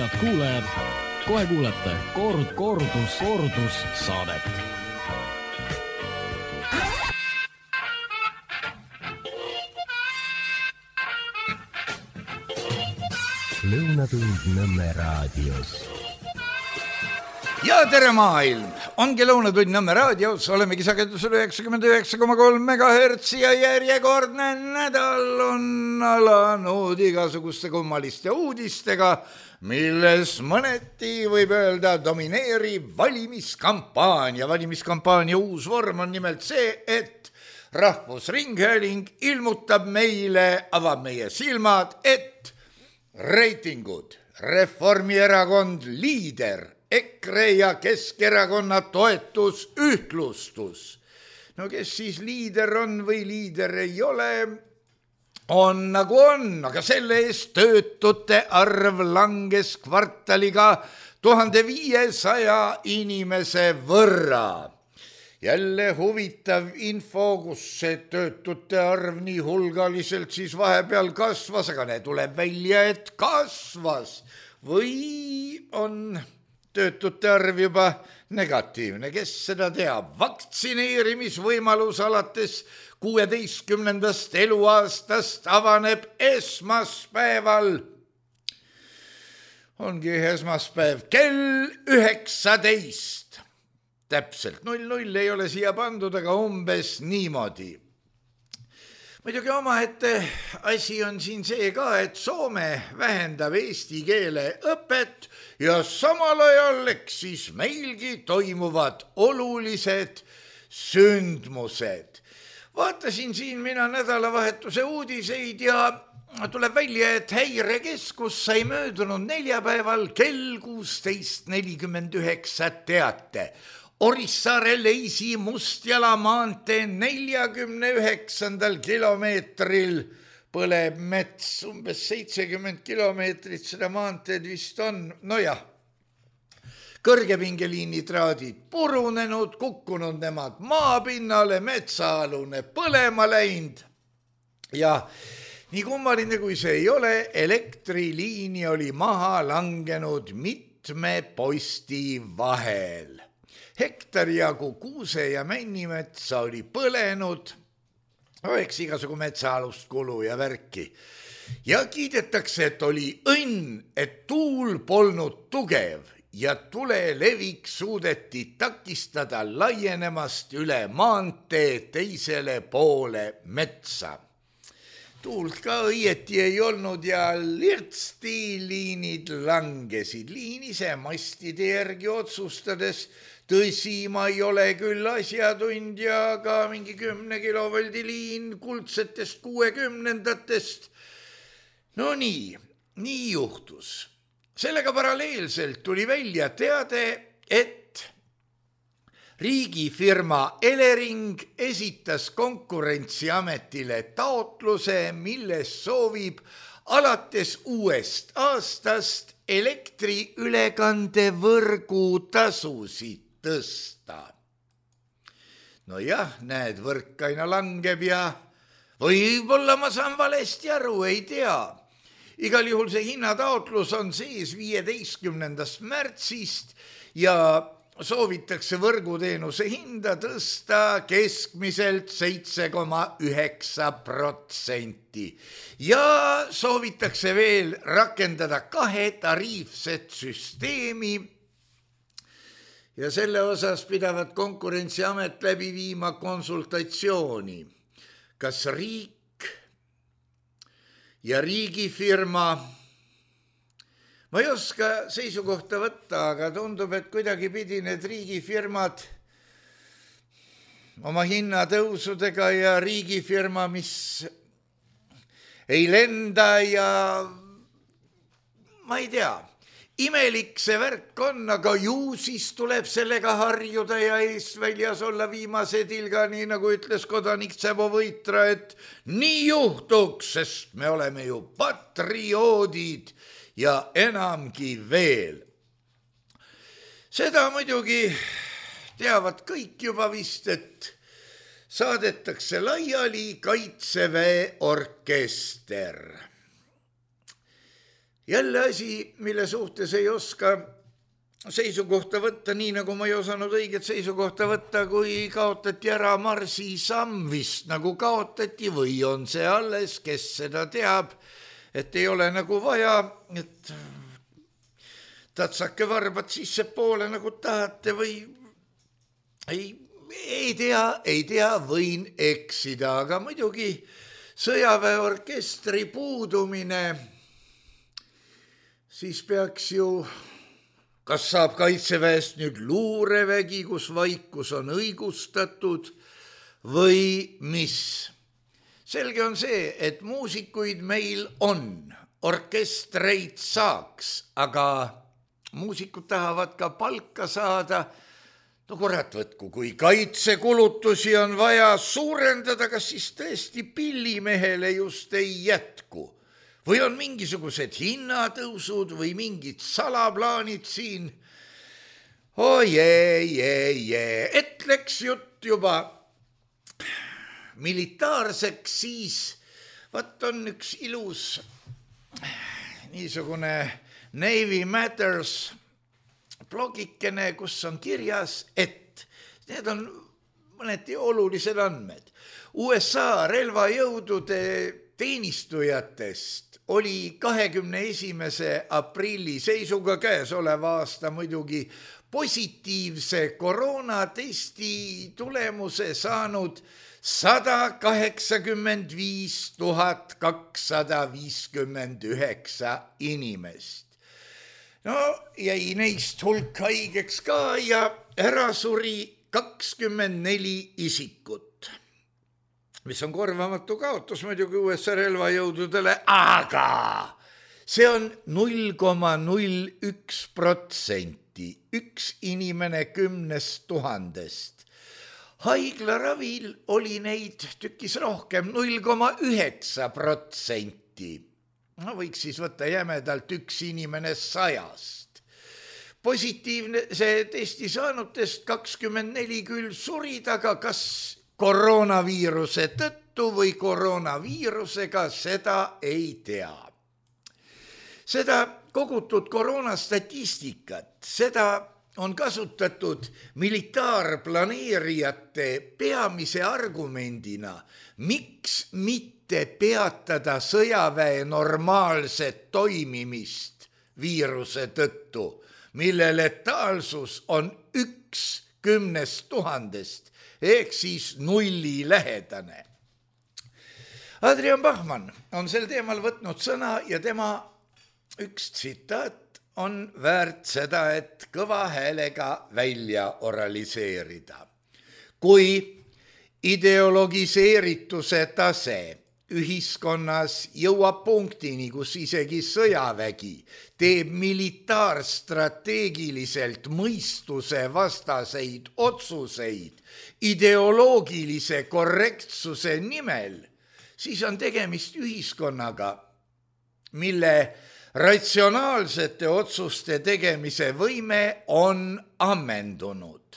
Head kuulajad, kohe kuulete kordus saadet. Lõunatund Nõmme raadios. Ja tere maailm! Ongi Lõunatund Nõmme raadios, olemegi sagedusel 99,3 MHz ja järjekordne nädal on alanud igasuguste kummaliste uudistega, milles mõneti võib öelda domineerib valimiskampaania. Valimiskampaania uus vorm on nimelt see, et Rahvusringhääling ilmutab meile, avab meie silmad, et reitingud, Reformierakond liider, EKRE ja Keskerakonna toetus ühtlustus. No kes siis liider on või liider ei ole, on nagu on, aga selle eest töötute arv langes kvartaliga 1500 inimese võrra. Jälle huvitav info, kus see töötute arv nii hulgaliselt siis vahepeal kasvas, aga need tuleb välja, et kasvas või on töötute arv juba negatiivne, kes seda teab. Vaktsineerimisvõimalus alates 16. eluaastast avaneb esmaspäeval. Ongi esmaspäev kell 19. Täpselt 00 ei ole siia pandud, aga umbes niimoodi. Muidugi omaette asi on siin see ka, et Soome vähendab eesti keele õpet ja samal ajal siis meilgi toimuvad olulised sündmused. Vaatasin siin mina nädalavahetuse uudiseid ja tuleb välja, et Häirekeskus sai möödunud neljapäeval kell 16.49 teate. Orissaare Leisi Mustjala maantee 49. kilomeetril põleb mets, umbes 70 kilomeetrit seda maanteed vist on. Nojah, kõrgepingeliini traadid purunenud, kukkunud nemad maapinnale, metsaalune põlema läinud. Ja nii kummaline kui see ei ole, elektriliini oli maha langenud mitme posti vahel. Hektari jagu kuuse ja männimetsa oli põlenud, eks igasugu metsaalust kulu ja värki. Ja kiidetakse, et oli õnn, et tuul polnud tugev ja tule levik suudeti takistada laienemast üle maantee teisele poole metsa. Tuult ka õieti ei olnud ja lirtsti liinid langesid. Liin ise mastide järgi otsustades, tõsi, ma ei ole küll asjatundja, aga mingi 10 kilovoldi liin kuldsetest 60-ndatest. No nii juhtus. Sellega paralleelselt tuli välja teade, et riigifirma Elering esitas Konkurentsiametile taotluse, milles soovib alates uuest aastast elektriülekandevõrgu tasusid tõsta. No jah, näed, võrk aina langeb ja võib-olla ma saan valesti aru, ei tea. Igal juhul see hinnataotlus on sees 15. märtsist ja soovitakse võrguteenuse hinda tõsta keskmiselt 7,9% ja soovitakse veel rakendada 2 tariifset süsteemi ja selle osas pidavat Konkurentsiamet läbi viima konsultatsiooni, kas riik ja riigifirma. Ma ei oska seisukohta võtta, aga tundub, et kuidagi pidi need riigifirmad oma hinnatõusudega ja riigifirma, mis ei lenda ja ma ei tea, imelik see värk on, aga ju siis tuleb sellega harjuda ja eestväljas olla viimase tilga, nii nagu ütles kodanik Tsebo Võitra, et nii juhtuks, sest me oleme ju patrioodid ja enamgi veel. Seda muidugi teavad kõik juba vist, et saadetakse laiali Kaitseväe orkester. Jälle asi, mille suhtes ei oska seisukohta võtta, nii nagu ma ei osanud õiget seisukohta võtta, kui kaotati ära Marsi samm vist nagu kaotati või on see alles, kes seda teab, et ei ole nagu vaja, et tatsake varbad sisse poole nagu tahate või ei tea, võin eksida, aga muidugi sõjaväeorkestri puudumine, siis peaks ju kas saab Kaitseväest nüüd luurevägi, kus vaikus on õigustatud või mis? Selge on see, et muusikuid meil on, orkestreid saaks, aga muusikud tahavad ka palka saada. No kurat võtku, kui kaitsekulutusi on vaja suurendada, kas siis tõesti pillimehele just ei jätku? Või on mingisugused hinnatõusud või mingid salaplaanid siin? Et läks jutt juba militaarseks, siis vaat on üks ilus niisugune Navy Matters blogikene, kus on kirjas, et need on mõneti olulised andmed. USA relvajõudude teenistujatest oli 21. aprilli seisuga käesoleva aasta muidugi positiivse koroonatesti tulemuse saanud 185 259 inimest. No jäi neist hulk haigeks ka ja ära suri 24 isikut. Mis on korvamatu kaotus muidugi USA relvajõududele, aga see on 0,01%, üks inimene 10 000. Haiglaravil oli neid tükis rohkem, 0,9%. No võiks siis võtta jämedalt üks inimene 100. Positiivne see testi saanutest 24 küll surid, aga kas koroonaviiruse tõttu või koroonaviirusega, seda ei tea. Seda kogutud koroonastatistikat, seda on kasutatud militaarplaneerijate peamise argumendina, miks mitte peatada sõjaväe normaalset toimimist viiruse tõttu, mille letaalsus on 1 10 000 ehk siis 0 lähedane. Adrian Bachmann on sel teemal võtnud sõna ja tema üks tsitaat on väärt seda, et kõva häälega välja oraliseerida. Kui ideologiseerituse tase ühiskonnas jõuab punktini, kus isegi sõjavägi teeb militaarstrateegiliselt mõistuse vastaseid otsuseid ideoloogilise korrektsuse nimel, siis on tegemist ühiskonnaga, mille ratsionaalsete otsuste tegemise võime on ammendunud.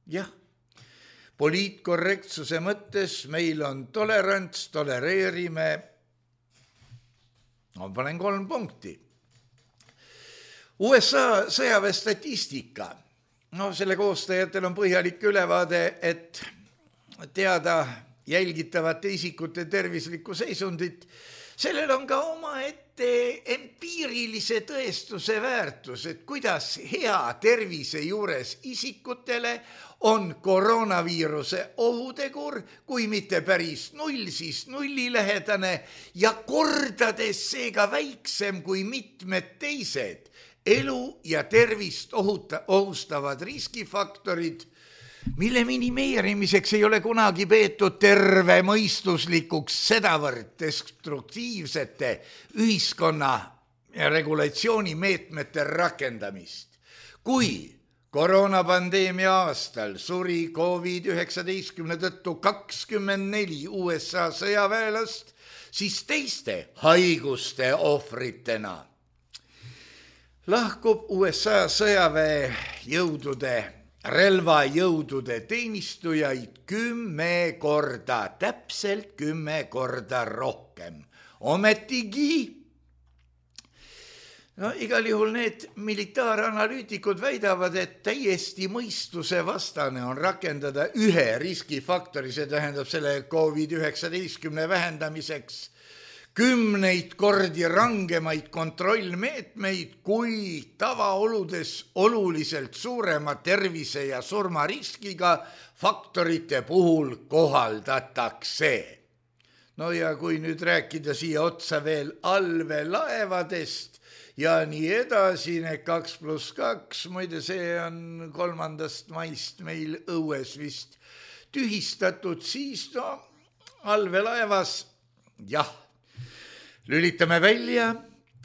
Jah, poliitkorrektsuse mõttes meil on tolerants, tolereerime, ma panen 3 punkti. USA sõjaväe statistika, selle koostajatel on põhjalik ülevaade, et teada jälgitavate isikute tervislikku seisundit, sellel on ka omaette empiirilise tõestuse väärtus, et kuidas hea tervise juures isikutele on koroonaviiruse ohutegur, kui mitte päris 0, siis 0 lähedane ja kordades seega väiksem kui mitmed teised elu ja tervist ohustavad riskifaktorid, mille minimeerimiseks ei ole kunagi peetud tervemõistuslikuks sedavõrd destruktiivsete ühiskonna regulatsioonimeetmete rakendamist. Kui koroonapandeemia aastal suri COVID-19 tõttu 24 USA sõjaväelast, siis teiste haiguste ohvritena lahkub USA sõjaväejõudude relvajõudude teenistujaid 10 korda, täpselt 10 korda rohkem. Ometigi No igal juhul need militaaranalüütikud väidavad, et täiesti mõistuse vastane on rakendada ühe riskifaktori, see tähendab selle COVID-19 vähendamiseks 10 kordi rangemaid kontrollmeetmeid, kui tavaoludes oluliselt suurema tervise ja surmariskiga faktorite puhul kohaldatakse. No ja kui nüüd rääkida siia otsa veel allveelaevadest ja nii edasi, need 2+2, muide see on 3. maist meil õues vist tühistatud, siis no allveelaevas, jah, lülitame välja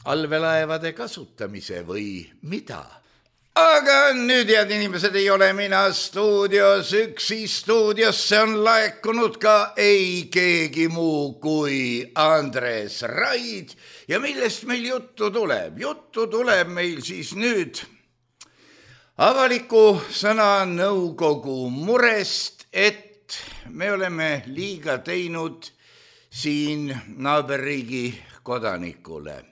allveelaevade kasutamise või mida? Aga nüüd, head inimesed, ei ole mina stuudios üksi, stuudiosse on laekunud ka ei keegi muu kui Andres Raid ja millest meil juttu tuleb? Juttu tuleb meil siis nüüd avaliku sõna nõukogu murest, et me oleme liiga teinud siin naaberriigi kodanikule.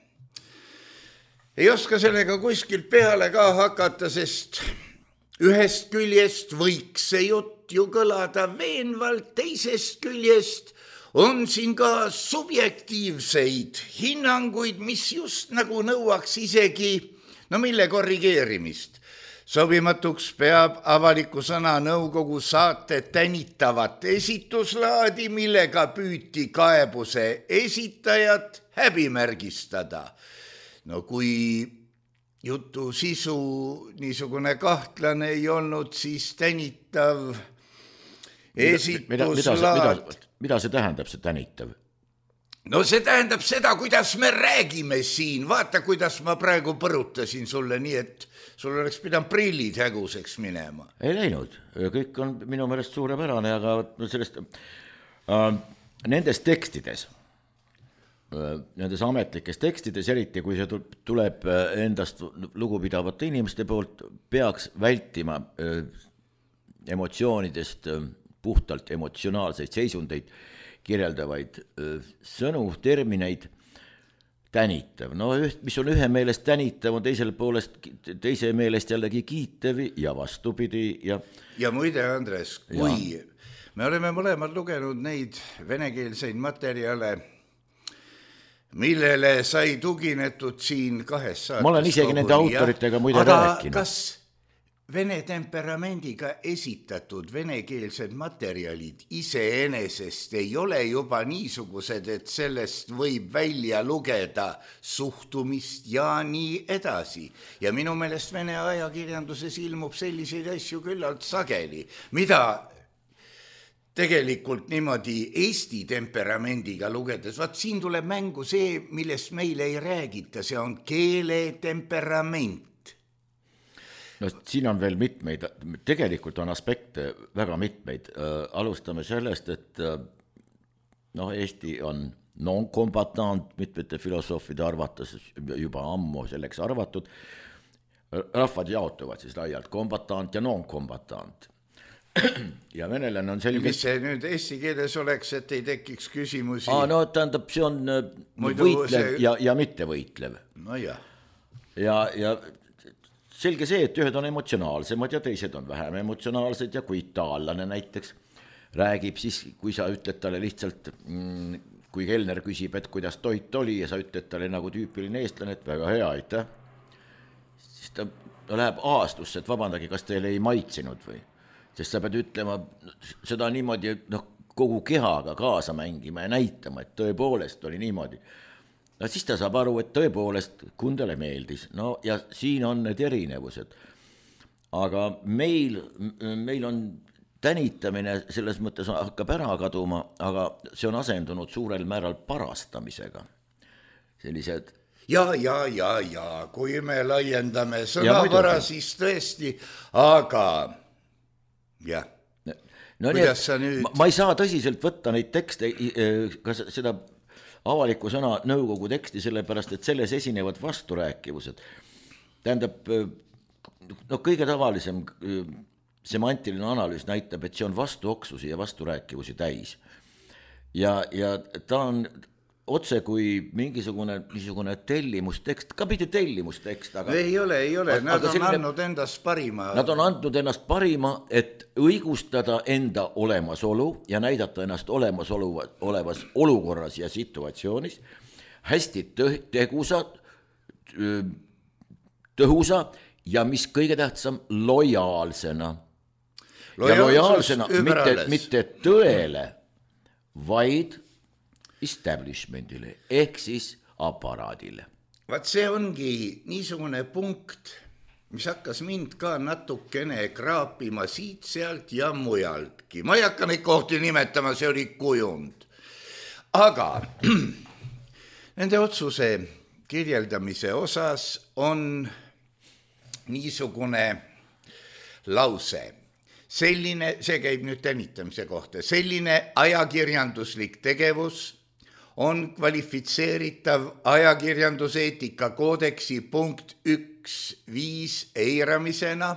Ei oska sellega kuskilt peale ka hakata, sest ühest küljest võiks see jutt ju kõlada veenvalt, teisest küljest on siin ka subjektiivseid hinnanguid, mis just nagu nõuaks isegi, no mille korrigeerimist. Sobimatuks peab avaliku sõna nõukogu saate tänitavat esituslaadi, millega püüti kaebuse esitajat häbimärgistada. No kui jutu sisu niisugune kahtlane ei olnud, siis tänitav esituslaad. Mida see tähendab, see tänitav? No see tähendab seda, kuidas me räägime siin. Vaata, kuidas ma praegu põrutasin sulle nii, et sul oleks pidanud prillid häguseks minema. Ei läinud. Kõik on minu meelest suurepärane, aga sellest nendes tekstides, nendes ametlikes tekstides, eriti kui see tuleb endast lugupidavate inimeste poolt, peaks vältima emotsioonidest puhtalt emotsionaalseid seisundeid kirjeldavaid sõnu, termineid. Tänitav, no mis on ühe meelest tänitav, on teise meelest jällegi kiitev ja vastupidi. Ja muide, Andres, kui me oleme mõlemad lugenud neid venekeelseid materjale, millele sai tuginetud siin 2 saates. Ma olen isegi nende autoritega muide rääkinud. Aga kas vene temperamendiga esitatud venekeelsed materjalid iseenesest ei ole juba niisugused, et sellest võib välja lugeda suhtumist ja nii edasi. Ja minu meelest vene ajakirjanduses ilmub selliseid asju küllalt sageli, mida tegelikult niimoodi Eesti temperamendiga lugedes, vaat siin tuleb mängu see, millest meile ei räägita, see on keele temperament. No siin on veel mitmeid, tegelikult on aspekte väga mitmeid. Alustame sellest, et Eesti on non-kombatant, mitmete filosoofide arvates juba ammu selleks arvatud. Rahvad jaotuvad siis laialt kombatant ja non-kombatant. Ja venelane on selge... Mis see nüüd eesti keeles oleks, et ei tekiks küsimusi? No tähendab, see on võitlev ja mitte võitlev. No jah. Ja selge see, et ühed on emotsionaalsemad ja teised on vähem emotsionaalsed ja kui itaallane näiteks räägib, siis kui sa ütled talle lihtsalt, kui kelner küsib, et kuidas toit oli ja sa ütled talle nagu tüüpiline eestlane, et väga hea, aitäh, siis ta läheb aastusse, et vabandagi, kas teile ei maitsenud või? Sest sa pead ütlema seda niimoodi, kogu kehaga kaasa mängima ja näitama, et tõepoolest oli niimoodi. No siis ta saab aru, et tõepoolest kundele meeldis. No ja siin on need erinevused. Aga meil on tänitamine selles mõttes hakkab ära kaduma, aga see on asendunud suurel määral parastamisega. Sellised... Ja, kui me laiendame sõnavara, siis tõesti, aga... jah, kuidas sa nüüd... Ma ei saa tõsiselt võtta neid tekste, ka seda avaliku sõna nõukogu teksti, sellepärast, et selles esinevad vasturääkivused. Tähendab, kõige tavalisem semantiline analüüs näitab, et see on vastuoksusi ja vasturääkivusi täis. Ja ta on otse kui mingisugune niisugune tellimustekst, ka mitte tellimustekst, aga ei ole, nad on andnud endast parima. Nad on andnud ennast parima, et õigustada enda olemasolu ja näidata ennast olevas olukorras ja situatsioonis hästi tõhusa ja mis kõige tähtsam, lojaalsena. Ja lojaalsena mitte tõele, vaid establishmentile ehk siis aparaadile. Vaat see ongi niisugune punkt, mis hakkas mind ka natukene kraapima siit, sealt ja mujaltki. Ma ei hakka neid kohti nimetama, see oli kujund. Aga nende otsuse kirjeldamise osas on niisugune lause. Selline, see käib nüüd tänitamise kohta, selline ajakirjanduslik tegevus on kvalifitseeritav ajakirjanduseetika koodeksi punkt 1.5 eiramisena.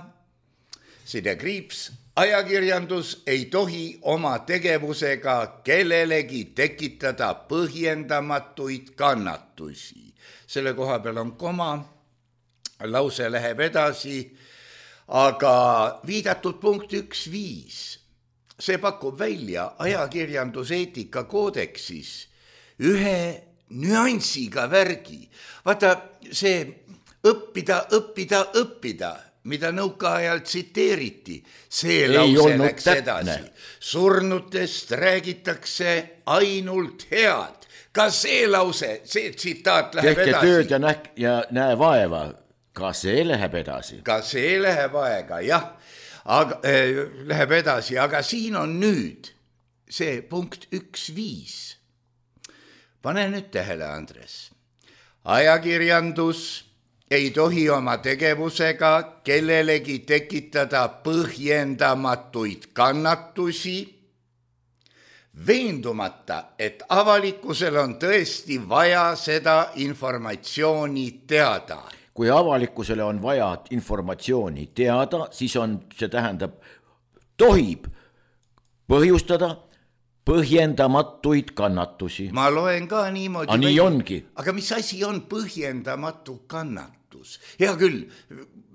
Ajakirjandus ei tohi oma tegevusega kellelegi tekitada põhjendamatuid kannatusi. Selle koha peal on koma, lause läheb edasi, aga viidatud punkt 1.5, see pakub välja ajakirjanduseetika koodeksis ühe nüansiga värgi. Vaata, see õppida, mida nõukaajal tsiteeriti, see lause läks edasi. Surnutest räägitakse ainult head. Ka see lause, see tsitaat läheb edasi. Tehke tööd ja näe vaeva, ka see läheb edasi. Ka see läheb aega, jah, aga, läheb edasi, aga siin on nüüd see punkt 1.5. Pane nüüd tähele, Andres. Ajakirjandus ei tohi oma tegevusega kellelegi tekitada põhjendamatuid kannatusi, veendumata, et avalikkusel on tõesti vaja seda informatsiooni teada. Kui avalikkusele on vaja informatsiooni teada, siis see tähendab, tohib põhjustada põhjendamatuid kannatusi. Ma loen ka niimoodi. Nii ongi. Aga mis asi on põhjendamatu kannatus? Hea küll,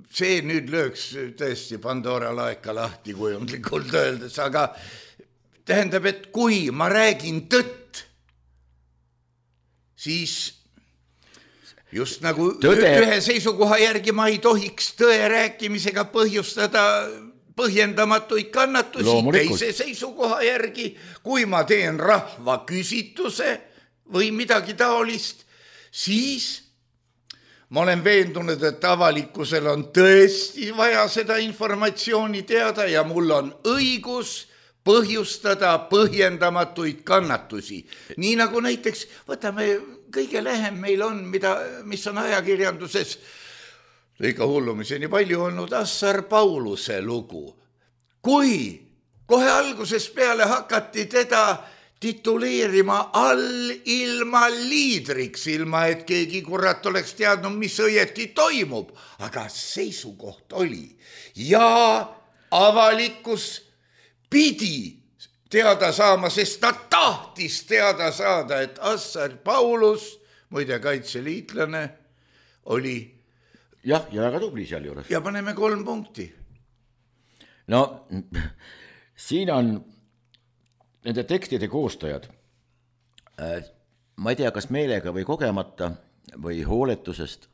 see nüüd lööks tõesti Pandora laeka lahti kujundlikult öeldes, aga tähendab, et kui ma räägin tõtt, siis just nagu ühe seisukoha järgi ma ei tohiks tõe rääkimisega põhjustada põhjendamatuid kannatusi, teise seisukoha järgi, kui ma teen rahva küsituse või midagi taolist, siis ma olen veendunud, et avalikkusel on tõesti vaja seda informatsiooni teada ja mul on õigus põhjustada põhjendamatuid kannatusi. Nii nagu näiteks, võtame kõige lähem meil on, mis on ajakirjanduses ikka hullumiseni palju olnud Assar Pauluse lugu. Kui kohe algusest peale hakati teda tituleerima ilma liidriks, ilma et keegi kurat oleks teadnud, mis õieti toimub, aga seisukoht oli ja avalikkus pidi teada saama, sest ta tahtis teada saada, et Assar Paulus, muide kaitseliitlane, oli jah, ja väga tubli seal juures. Ja paneme 3 punkti. No, siin on nende tekstide koostajad, ma ei tea, kas meelega või kogemata või hooletusest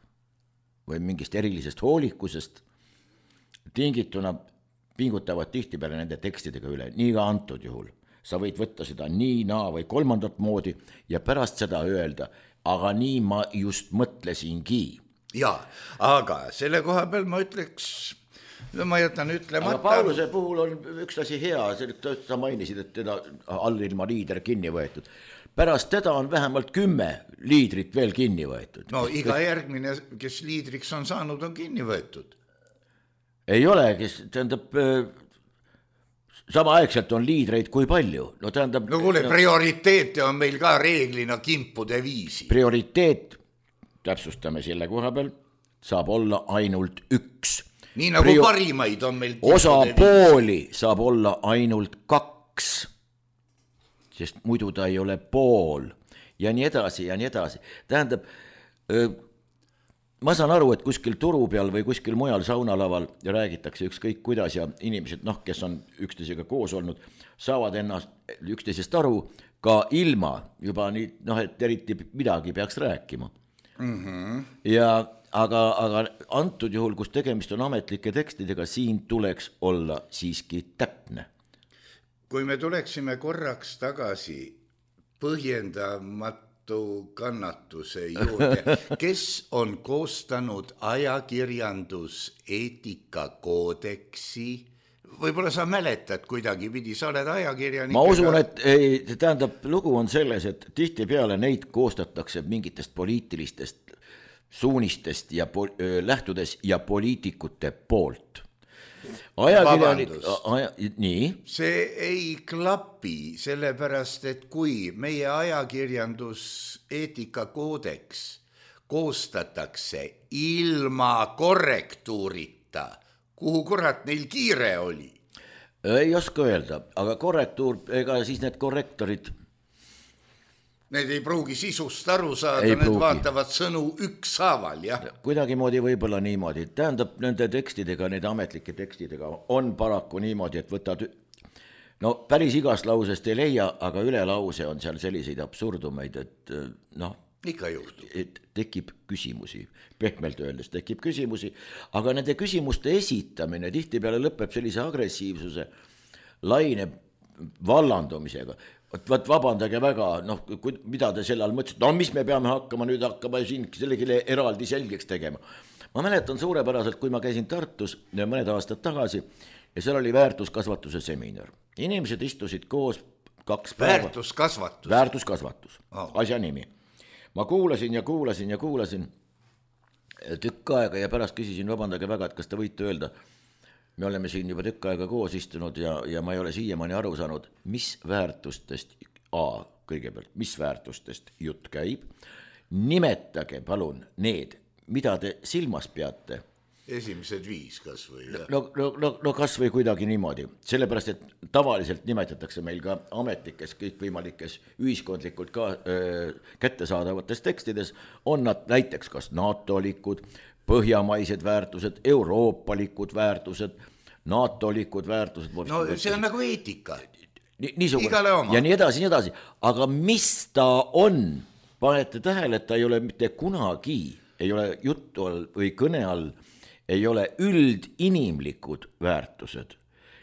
või mingist erilisest hoolikusest tingituna pingutavad tihtipeale nende tekstidega üle, nii ka antud juhul. Sa võid võtta seda nii, naa või kolmandat moodi ja pärast seda öelda, aga nii ma just mõtlesingi. Ja, aga selle koha peal ma ütleks, ma jätan ütlemata. Aga Pauluse puhul on üks asi hea, sa mainisid, et teda allilma liider kinni võetud. Pärast teda on vähemalt 10 liidrit veel kinni võetud. No iga järgmine, kes liidriks on saanud, on kinni võetud. Ei ole, kes tähendab, samaaegselt on liidreid kui palju. No kuule, prioriteete on meil ka reeglina kimpude viisi. Prioriteet, täpsustame selle koha peal, saab olla ainult üks. Nii nagu parimaid on meil osapooli saab olla ainult 2, sest muidu ta ei ole pool. ja nii edasi ja nii edasi. Tähendab, ma saan aru, et kuskil turu peal või kuskil mujal saunalaval räägitakse ükskõik kuidas ja inimesed, kes on üksteisega koos olnud, saavad ennast üksteisest aru ka ilma juba nii, et eriti midagi peaks rääkima. Ja aga antud juhul, kus tegemist on ametlike tekstidega, siin tuleks olla siiski täpne. Kui me tuleksime korraks tagasi põhjendamatu kannatuse juurde, kes on koostanud ajakirjanduseetika koodeksi, võib-olla sa mäletad kuidagi pidi, sa oled ajakirjanik. Ma usun, et tähendab, lugu on selles, et tihtipeale neid koostatakse mingitest poliitilistest suunistest ja lähtudes ja poliitikute poolt. Nii. See ei klapi, sellepärast, et kui meie ajakirjanduseetika koodeks koostatakse ilma korrektuurita, kuhu kurat neil kiire oli? Ei oska öelda, aga korrektuur, ega siis need korrektorid need ei pruugi sisust aru saada, need vaatavad sõnu ükshaaval, jah. Kuidagimoodi võib-olla niimoodi. Tähendab, nende tekstidega, nende ametlike tekstidega on paraku niimoodi, et võtad, päris igast lausest ei leia, aga üle lause on seal selliseid absurdumeid, et ikka juhtub. Et tekib küsimusi, pehmelt öeldes tekib küsimusi, aga nende küsimuste esitamine tihtipeale lõpeb sellise agressiivsuse laine vallandumisega. Võt vabandage väga, mida te selle all mõtlesid, mis me peame hakkama siin sellegile eraldi selgeks tegema. Ma mäletan suurepäraselt, kui ma käisin Tartus mõned aastad tagasi ja seal oli väärtuskasvatuse seminar. Inimesed istusid koos 2 päeva. Väärtuskasvatus, asja nimi. Ma kuulasin tükk aega ja pärast küsisin, vabandage väga, et kas te võite öelda, me oleme siin juba tükk aega koos istunud ja ma ei ole siiamaani aru saanud, mis väärtustest, kõigepealt, mis väärtustest jutt käib. Nimetage palun need, mida te silmas peate. Esimesed 5 kas või? No kas või kuidagi niimoodi. Sellepärast, et tavaliselt nimetatakse meil ka ametlikes, kõikvõimalikes ühiskondlikult ka kättesaadavates tekstides on nad näiteks kas NATO-likud, põhjamaised väärtused, euroopalikud väärtused, NATO-likud väärtused. No see on nagu eetika. Igale oma. Ja nii edasi. Aga mis ta on? Panete tähele, et ta ei ole mitte kunagi, ei ole juttu all või kõne all, ei ole üldinimlikud väärtused.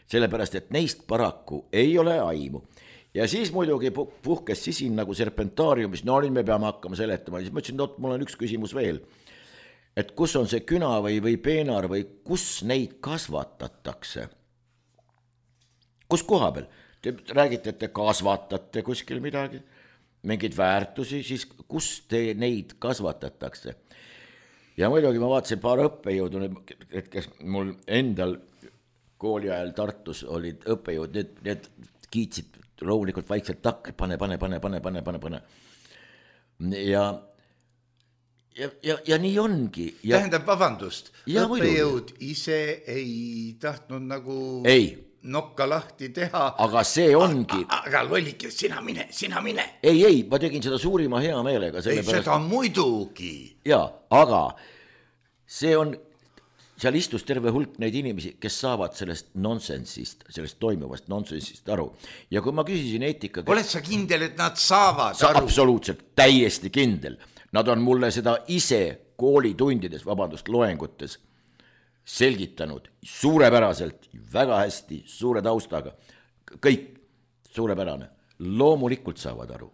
Sellepärast, et neist paraku ei ole aimu. Ja siis muidugi puhkes sisin nagu serpentaariumis, nüüd me peame hakkama seletama. Siis ma ütlesin, mul on üks küsimus veel. Et kus on see küna või peenar või kus neid kasvatatakse? Kus koha peal? Te räägite, et te kasvatate kuskil midagi, mingid väärtusi, siis kus te neid kasvatatakse? Ja muidugi ma vaatasin paar õppejõudu, et kes mul endal kooli ajal Tartus olid õppejõud, need kiitsid loomulikult vaikselt takk, pane. Ja nii ongi. Tähendab, vabandust, õppejõud ise ei tahtnud nagu nokka lahti teha. Aga see ongi. Aga lollike, sina mine. Ei, ma tegin seda suurima hea meelega. Seda muidugi. Jaa, aga see on, seal istus terve hulk neid inimesi, kes saavad sellest nonsensist, sellest toimuvast nonsensist aru. Ja kui ma küsisin eetika... Oled sa kindel, et nad saavad aru? Absoluutselt, täiesti kindel. Nad on mulle seda ise koolitundides, loengutes selgitanud suurepäraselt, väga hästi, suure taustaga. Kõik suurepärane. Loomulikult saavad aru.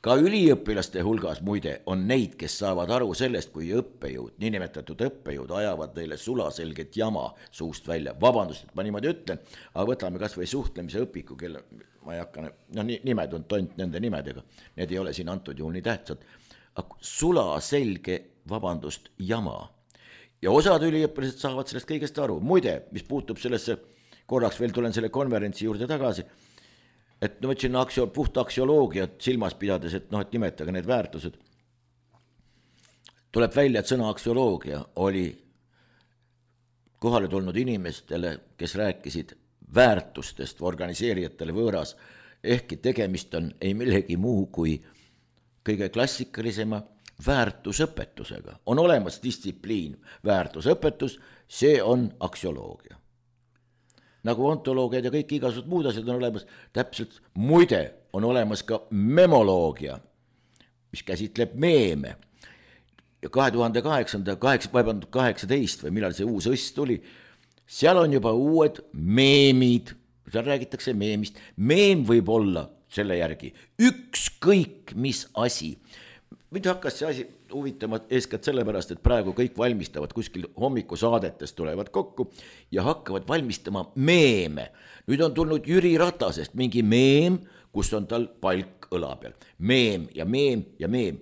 Ka üliõpilaste hulgas muide on neid, kes saavad aru sellest, kui õppejõud, niinimetatud õppejõud ajavad neile sulaselget jama suust välja. Vabandust, et ma niimoodi ütlen, aga võtame kas või suhtlemise õpiku, kelle ma ei hakka, nimed on tont nende nimedega. Need ei ole siin antud juhul nii tähtsad. Sulaselge, jama. Ja osad üliõpilased saavad sellest kõigest aru. Muide, mis puutub sellesse, korraks veel tulen selle konverentsi juurde tagasi, et ma ütlesin puht aksioloogiat silmas pidades, et nimetage need väärtused. Tuleb välja, et sõna aksioloogia oli kohale tulnud inimestele, kes rääkisid väärtustest organiseerijatele võõras, ehkki tegemist on ei millegi muu kui kõige klassikalisema väärtusõpetusega. On olemas distsipliin, väärtusõpetus, see on aksioloogia. Nagu ontoloogiad ja kõik igasugused muud asjad on olemas, täpselt muide on olemas ka memoloogia, mis käsitleb meeme. Ja 2018 või millal see uus õst tuli, seal on juba uued meemid, seal räägitakse meemist. Meem võib olla selle järgi ükskõik mis asi. Mind hakkas see asi huvitama eeskätt sellepärast, et praegu kõik valmistavad kuskil hommikusaadetest tulevad kokku ja hakkavad valmistama meeme. Nüüd on tulnud Jüri Ratasest mingi meem, kus on tal palk õla peal. Meem ja meem ja meem.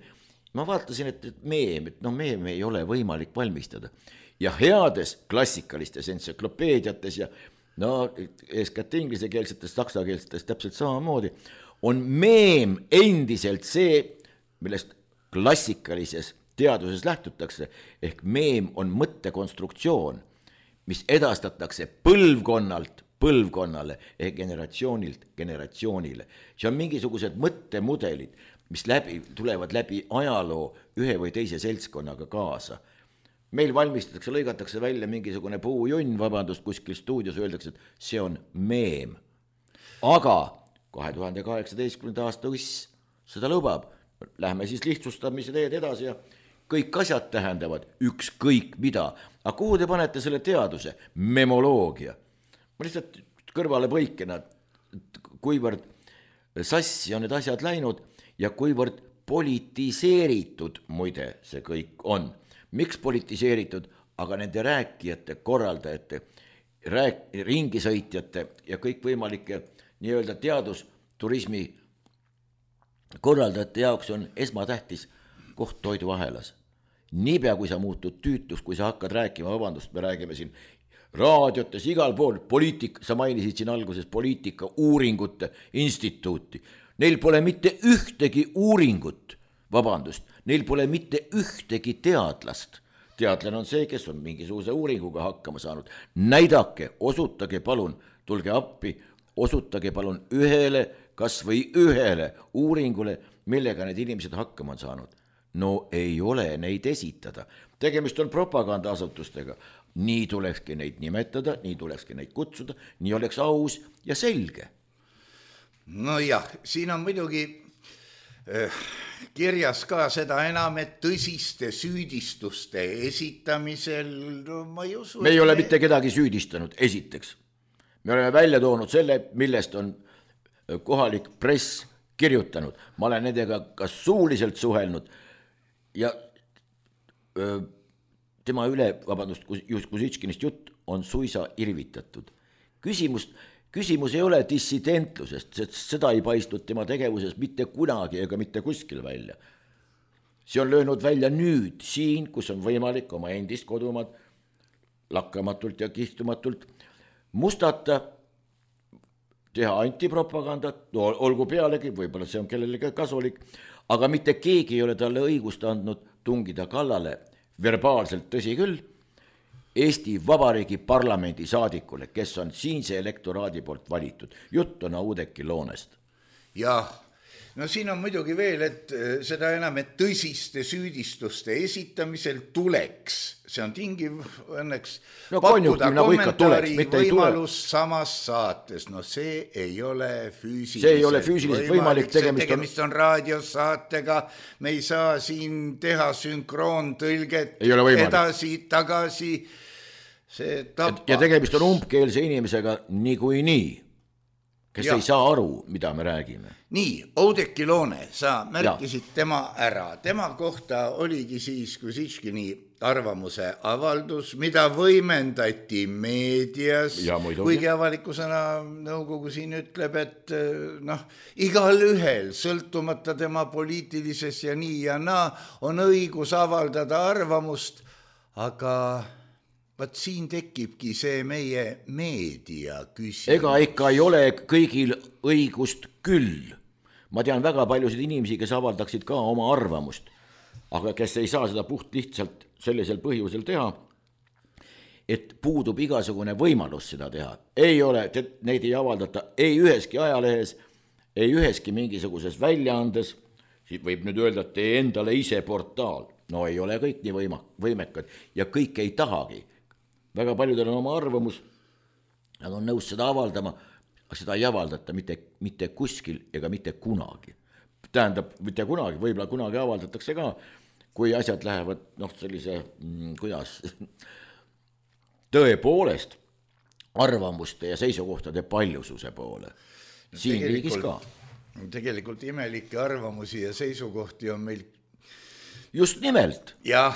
Ma vaatasin, et meem ei ole võimalik valmistada. Ja heades klassikalistes entsüklopeediates ja eeskätt inglisekeelsetes, saksakeelsetes täpselt samamoodi on meem endiselt see, millest klassikalises teaduses lähtutakse, ehk meem on mõttekonstruktsioon, mis edastatakse põlvkonnalt põlvkonnale ehk generatsioonilt generatsioonile. See on mingisugused mõttemudelid, mis tulevad läbi ajaloo ühe või teise seltskonnaga kaasa. Meil valmistatakse, lõigatakse välja mingisugune puujunn, kuskil stuudios öeldakse, et see on meem. Aga 2018. aasta õss seda lubab. Lähme siis lihtsustamise teed edasi ja kõik asjad tähendavad ükskõik mida. Aga kuhu te panete selle teaduse? Memoloogia. Ma lihtsalt kõrvale põikena, kuivõrd sassi on need asjad läinud ja kuivõrd politiseeritud muide see kõik on. Miks politiseeritud? Aga nende rääkijate, korraldajate, ringisõitjate ja kõik võimalike nii-öelda teadusturismi korraldajate jaoks on esmatähtis koht toiduahelas. Niipea kui sa muutud tüütus, kui sa hakkad rääkima, vabandust, me räägime siin raadiotes, igal pool, sa mainisid siin alguses poliitika uuringute instituuti. Neil pole mitte ühtegi uuringut, neil pole mitte ühtegi teadlast. Teadlane on see, kes on mingisuguse uuringuga hakkama saanud. Näidake, osutage palun, tulge appi, osutage palun kas või ühele uuringule, millega need inimesed hakkama on saanud. No ei ole neid esitada. Tegemist on propagandaasutustega. Nii tulekski neid nimetada, nii tulekski neid kutsuda, nii oleks aus ja selge. No jah, siin on muidugi kirjas ka seda enam, et tõsiste süüdistuste esitamisel, ma ei usu. Me ei ole mitte kedagi süüdistanud, esiteks. Me oleme välja toonud selle, millest on kohalik press kirjutanud. Ma olen nendega ka suuliselt suhelnud ja tema üle, Kusitškinist jutt on suisa irvitatud. Küsimus ei ole dissidentlusest, sest seda ei paistnud tema tegevuses mitte kunagi ega mitte kuskil välja. See on löönud välja nüüd siin, kus on võimalik oma endist kodumaad lakkamatult ja kihtumatult mustata, teha antipropagandat, olgu pealegi, võib-olla see on kellelegi kasulik, aga mitte keegi ei ole talle õigust andnud tungida kallale verbaalselt, tõsi küll, Eesti Vabariigi parlamendi saadikule, kes on siinse elektoraadi poolt valitud. Jutt on Oudekki Loonest. Jah, no siin on muidugi veel, et seda enam, et tõsiste süüdistuste esitamisel tuleks, see on tingiv õnneks pakkuda kommentaari võimalus samas saates. No see ei ole füüsiliselt võimalik. Tegemist on raadiosaatega, me ei saa siin teha sünkroontõlget edasi, tagasi. Ja tegemist on umbkeelse inimesega niikuinii, kes ei saa aru, mida me räägime. Nii, Oudekki Loone, sa märkisid tema ära. Tema kohta oligi siis Kusitškini arvamuse avaldus, mida võimendati meedias, kuigi avalikusena nõukogu siin ütleb, et igal ühel, sõltumata tema poliitilises ja nii ja naa, on õigus avaldada arvamust, aga vaat siin tekibki see meie meedia küsimus. Ega ikka ei ole kõigil õigust küll. Ma tean väga paljusid inimesi, kes avaldaksid ka oma arvamust, aga kes ei saa seda puht lihtsalt sellisel põhjusel teha, et puudub igasugune võimalus seda teha. Ei ole, neid ei avaldata ei üheski ajalehes, ei üheski mingisuguses väljaandes, Siis võib nüüd öelda, et tee endale ise portaal. No ei ole kõik nii võimekad ja kõik ei tahagi. Väga paljudel on oma arvamus, nad on nõus seda avaldama, aga seda ei avaldata mitte kuskil ega mitte kunagi. Tähendab, mitte kunagi, võib-olla kunagi avaldatakse ka, kui asjad lähevad sellise, kuidas, tõepoolest arvamuste ja seisukohtade paljususe poole. Siin riigis ka. Tegelikult imelikke arvamusi ja seisukohti on meil. Just nimelt. Ja.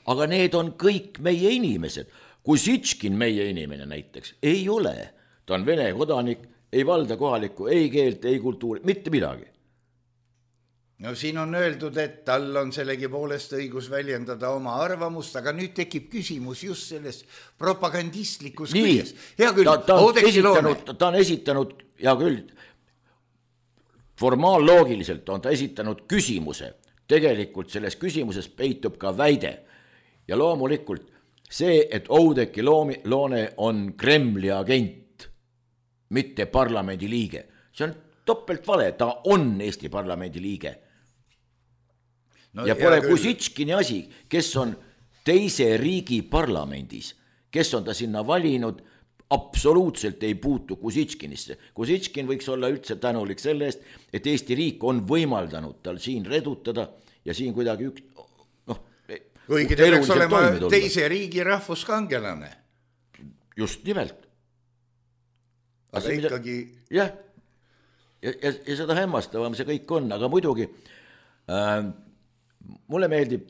Aga need on kõik meie inimesed. Kusitškin meie inimene näiteks ei ole. Ta on Vene kodanik, ei valda kohalikku, ei keelt, ei kultuuri, mitte midagi. No siin on öeldud, et tal on sellegi poolest õigus väljendada oma arvamust, aga nüüd tekib küsimus just selles propagandistlikus küljes. Hea küll, ta on esitanud, hea küll, formaalloogiliselt on ta esitanud küsimuse. Tegelikult selles küsimuses peitub ka väide. Ja loomulikult see, et Oudekki Loone on Kremli agent, mitte parlamendi liige. See on topelt vale, ta on Eesti parlamendi liige. No, ja pole Kusitškini asi, kes on teise riigi parlamendis, kes on ta sinna valinud, absoluutselt ei puutu Kusitškinisse. Kusitškin võiks olla üldse tänulik selle eest, et Eesti riik on võimaldanud tal siin redutada ja siin kuidagi kuigi ta peaks olema teise riigi rahvuskangelane. Just nimelt. Aga ikkagi. Jah, ja seda hämmastavam see kõik on, aga muidugi mulle meeldib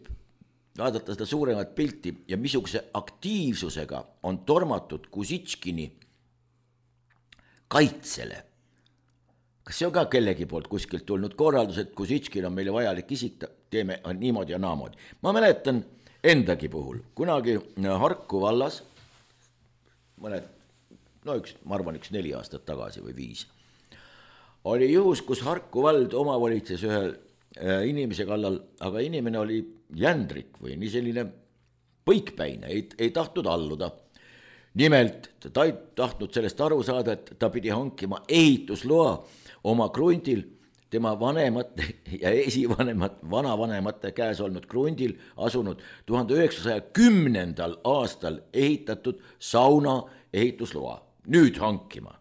vaadata seda suuremat pilti ja missuguse aktiivsusega on tormatud Kusitškini kaitsele. Kas see on ka kellegi poolt kuskilt tulnud korraldus, et Kusitškin on meile vajalik isik, teeme niimoodi ja naamoodi. Ma mäletan endagi puhul, kunagi Harku vallas, ma arvan 4 aastat tagasi või 5, oli juhus, kus Harku vald omavolitses ühel inimese kallal, aga inimene oli jändrik või nii selline põikpäine, ei tahtnud alluda. Nimelt, ta ei tahtnud sellest aru saada, et ta pidi hankima ehitusloa oma krundil, tema vanemate ja vanavanemate käes olnud krundil asunud 1910. aastal ehitatud sauna ehitusloa. Nüüd hankima.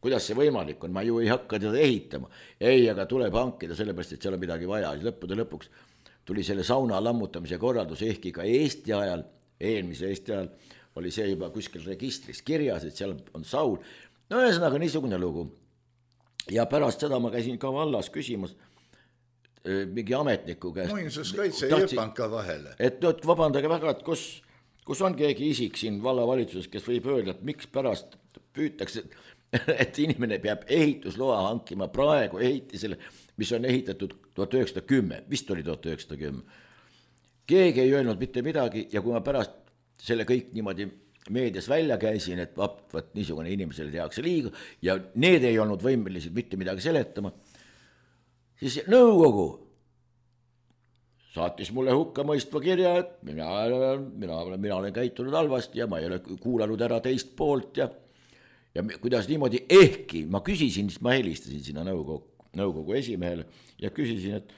Kuidas see võimalik on, ma ju ei hakka teda ehitama. Ei, aga tuleb hankida sellepärast, et seal on midagi vaja. Lõppude lõpuks tuli selle sauna lammutamise korraldus, ehkki ka Eesti ajal, eelmise Eesti ajal, oli see juba kuskil registris kirjas, et seal on saun. No ühesõnaga niisugune lugu. Ja pärast seda ma käisin ka vallas küsimus mingi ametniku käest. Muinsuskaitse jõpanka vahele. Et nüüd vabandage väga, et kus on keegi isik siin vallavalitsuses, kes võib öelda, et miks pärast püütakse, et inimene peab ehitusloa hankima praegu ehitisele, mis on ehitatud 1910, vist oli 1910. Keegi ei öelnud mitte midagi ja kui ma pärast selle kõik niimoodi meedias välja käisin, et vaat niisugune inimesele tehakse liiga ja need ei olnud võimelised mitte midagi seletama, siis nõukogu saatis mulle hukka mõistva kirja, et mina olen käitunud halvasti ja ma ei ole kuulanud ära teist poolt ja kuidas niimoodi, ehkki ma küsisin, siis ma helistasin sinna nõukogu esimehele ja küsisin, et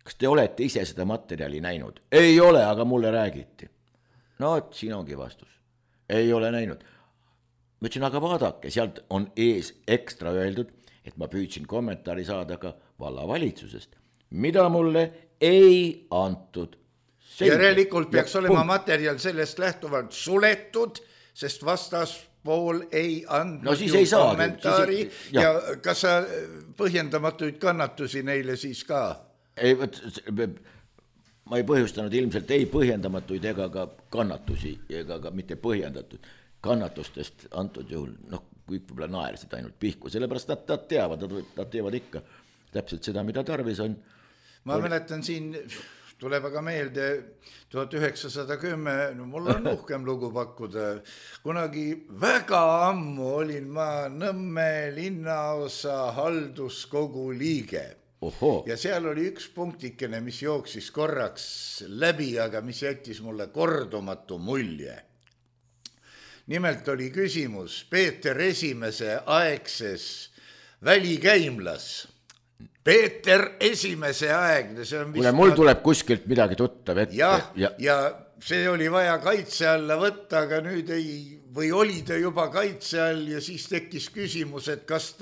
kas te olete ise seda materjali näinud? Ei ole, aga mulle räägiti. No, siin ongi vastus. Ei ole näinud. Ma ütlesin, aga vaadake, sealt on ees ekstra öeldud, et ma püüdsin kommentaari saada ka vallavalitsusest, mida mulle ei antud. Järelikult peaks olema materjal sellest lähtuvalt suletud, sest vastaspool ei andnud kommentaari ja kas sa põhjendamatuid kannatusi neile siis ka? Ei, ma ei põhjustanud ilmselt ei põhjendamatuid ega ka kannatusi ega ka mitte põhjendatud kannatustest antud juhul, kõik võib-olla naersid ainult pihku, sellepärast nad teevad ikka täpselt seda, mida tarvis on. Ma mäletan siin, tuleb aga meelde 1910, mul on uhkem lugu pakkuda, kunagi väga ammu olin ma Nõmme linnaosa halduskogu liige. Oho. Ja seal oli üks punktikene, mis jooksis korraks läbi, aga mis jättis mulle kordumatu mulje. Nimelt oli küsimus Peeter Esimese aegses välikäimlas. Peeter Esimese aegne, see on kuule, mul tuleb kuskilt midagi tuttav ette. Ja see oli vaja kaitse alla võtta, aga nüüd või oli ta juba kaitse all ja siis tekkis küsimus, et kas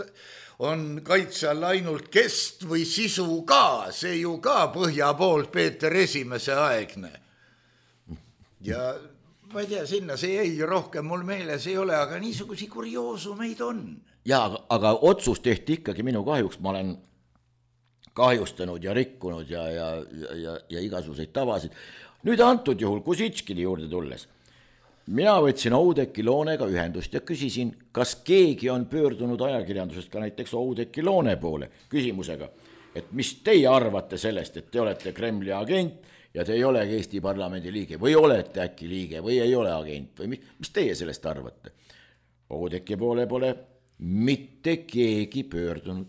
on kaitse all ainult kest või sisu ka, see ju ka põhja poolt Peeter Esimese aegne. Ja ma ei tea, sinna see jäi rohkem mul meeles ei ole, aga niisugusi kurioosumeid on. Ja, aga otsus tehti ikkagi minu kahjuks, ma olen kahjustanud ja rikkunud ja igasuguseid tavasid. Nüüd antud juhul Kusitškini juurde tulles. Mina võtsin Oudekki Loonega ühendust ja küsisin, kas keegi on pöördunud ajakirjandusest ka näiteks Oudekki Loone poole küsimusega, et mis teie arvate sellest, et te olete Kremli agent ja te ei ole Eesti parlamendi liige või olete äkki liige või ei ole agent või mis teie sellest arvate? Oudekki poole pole mitte keegi pöördunud.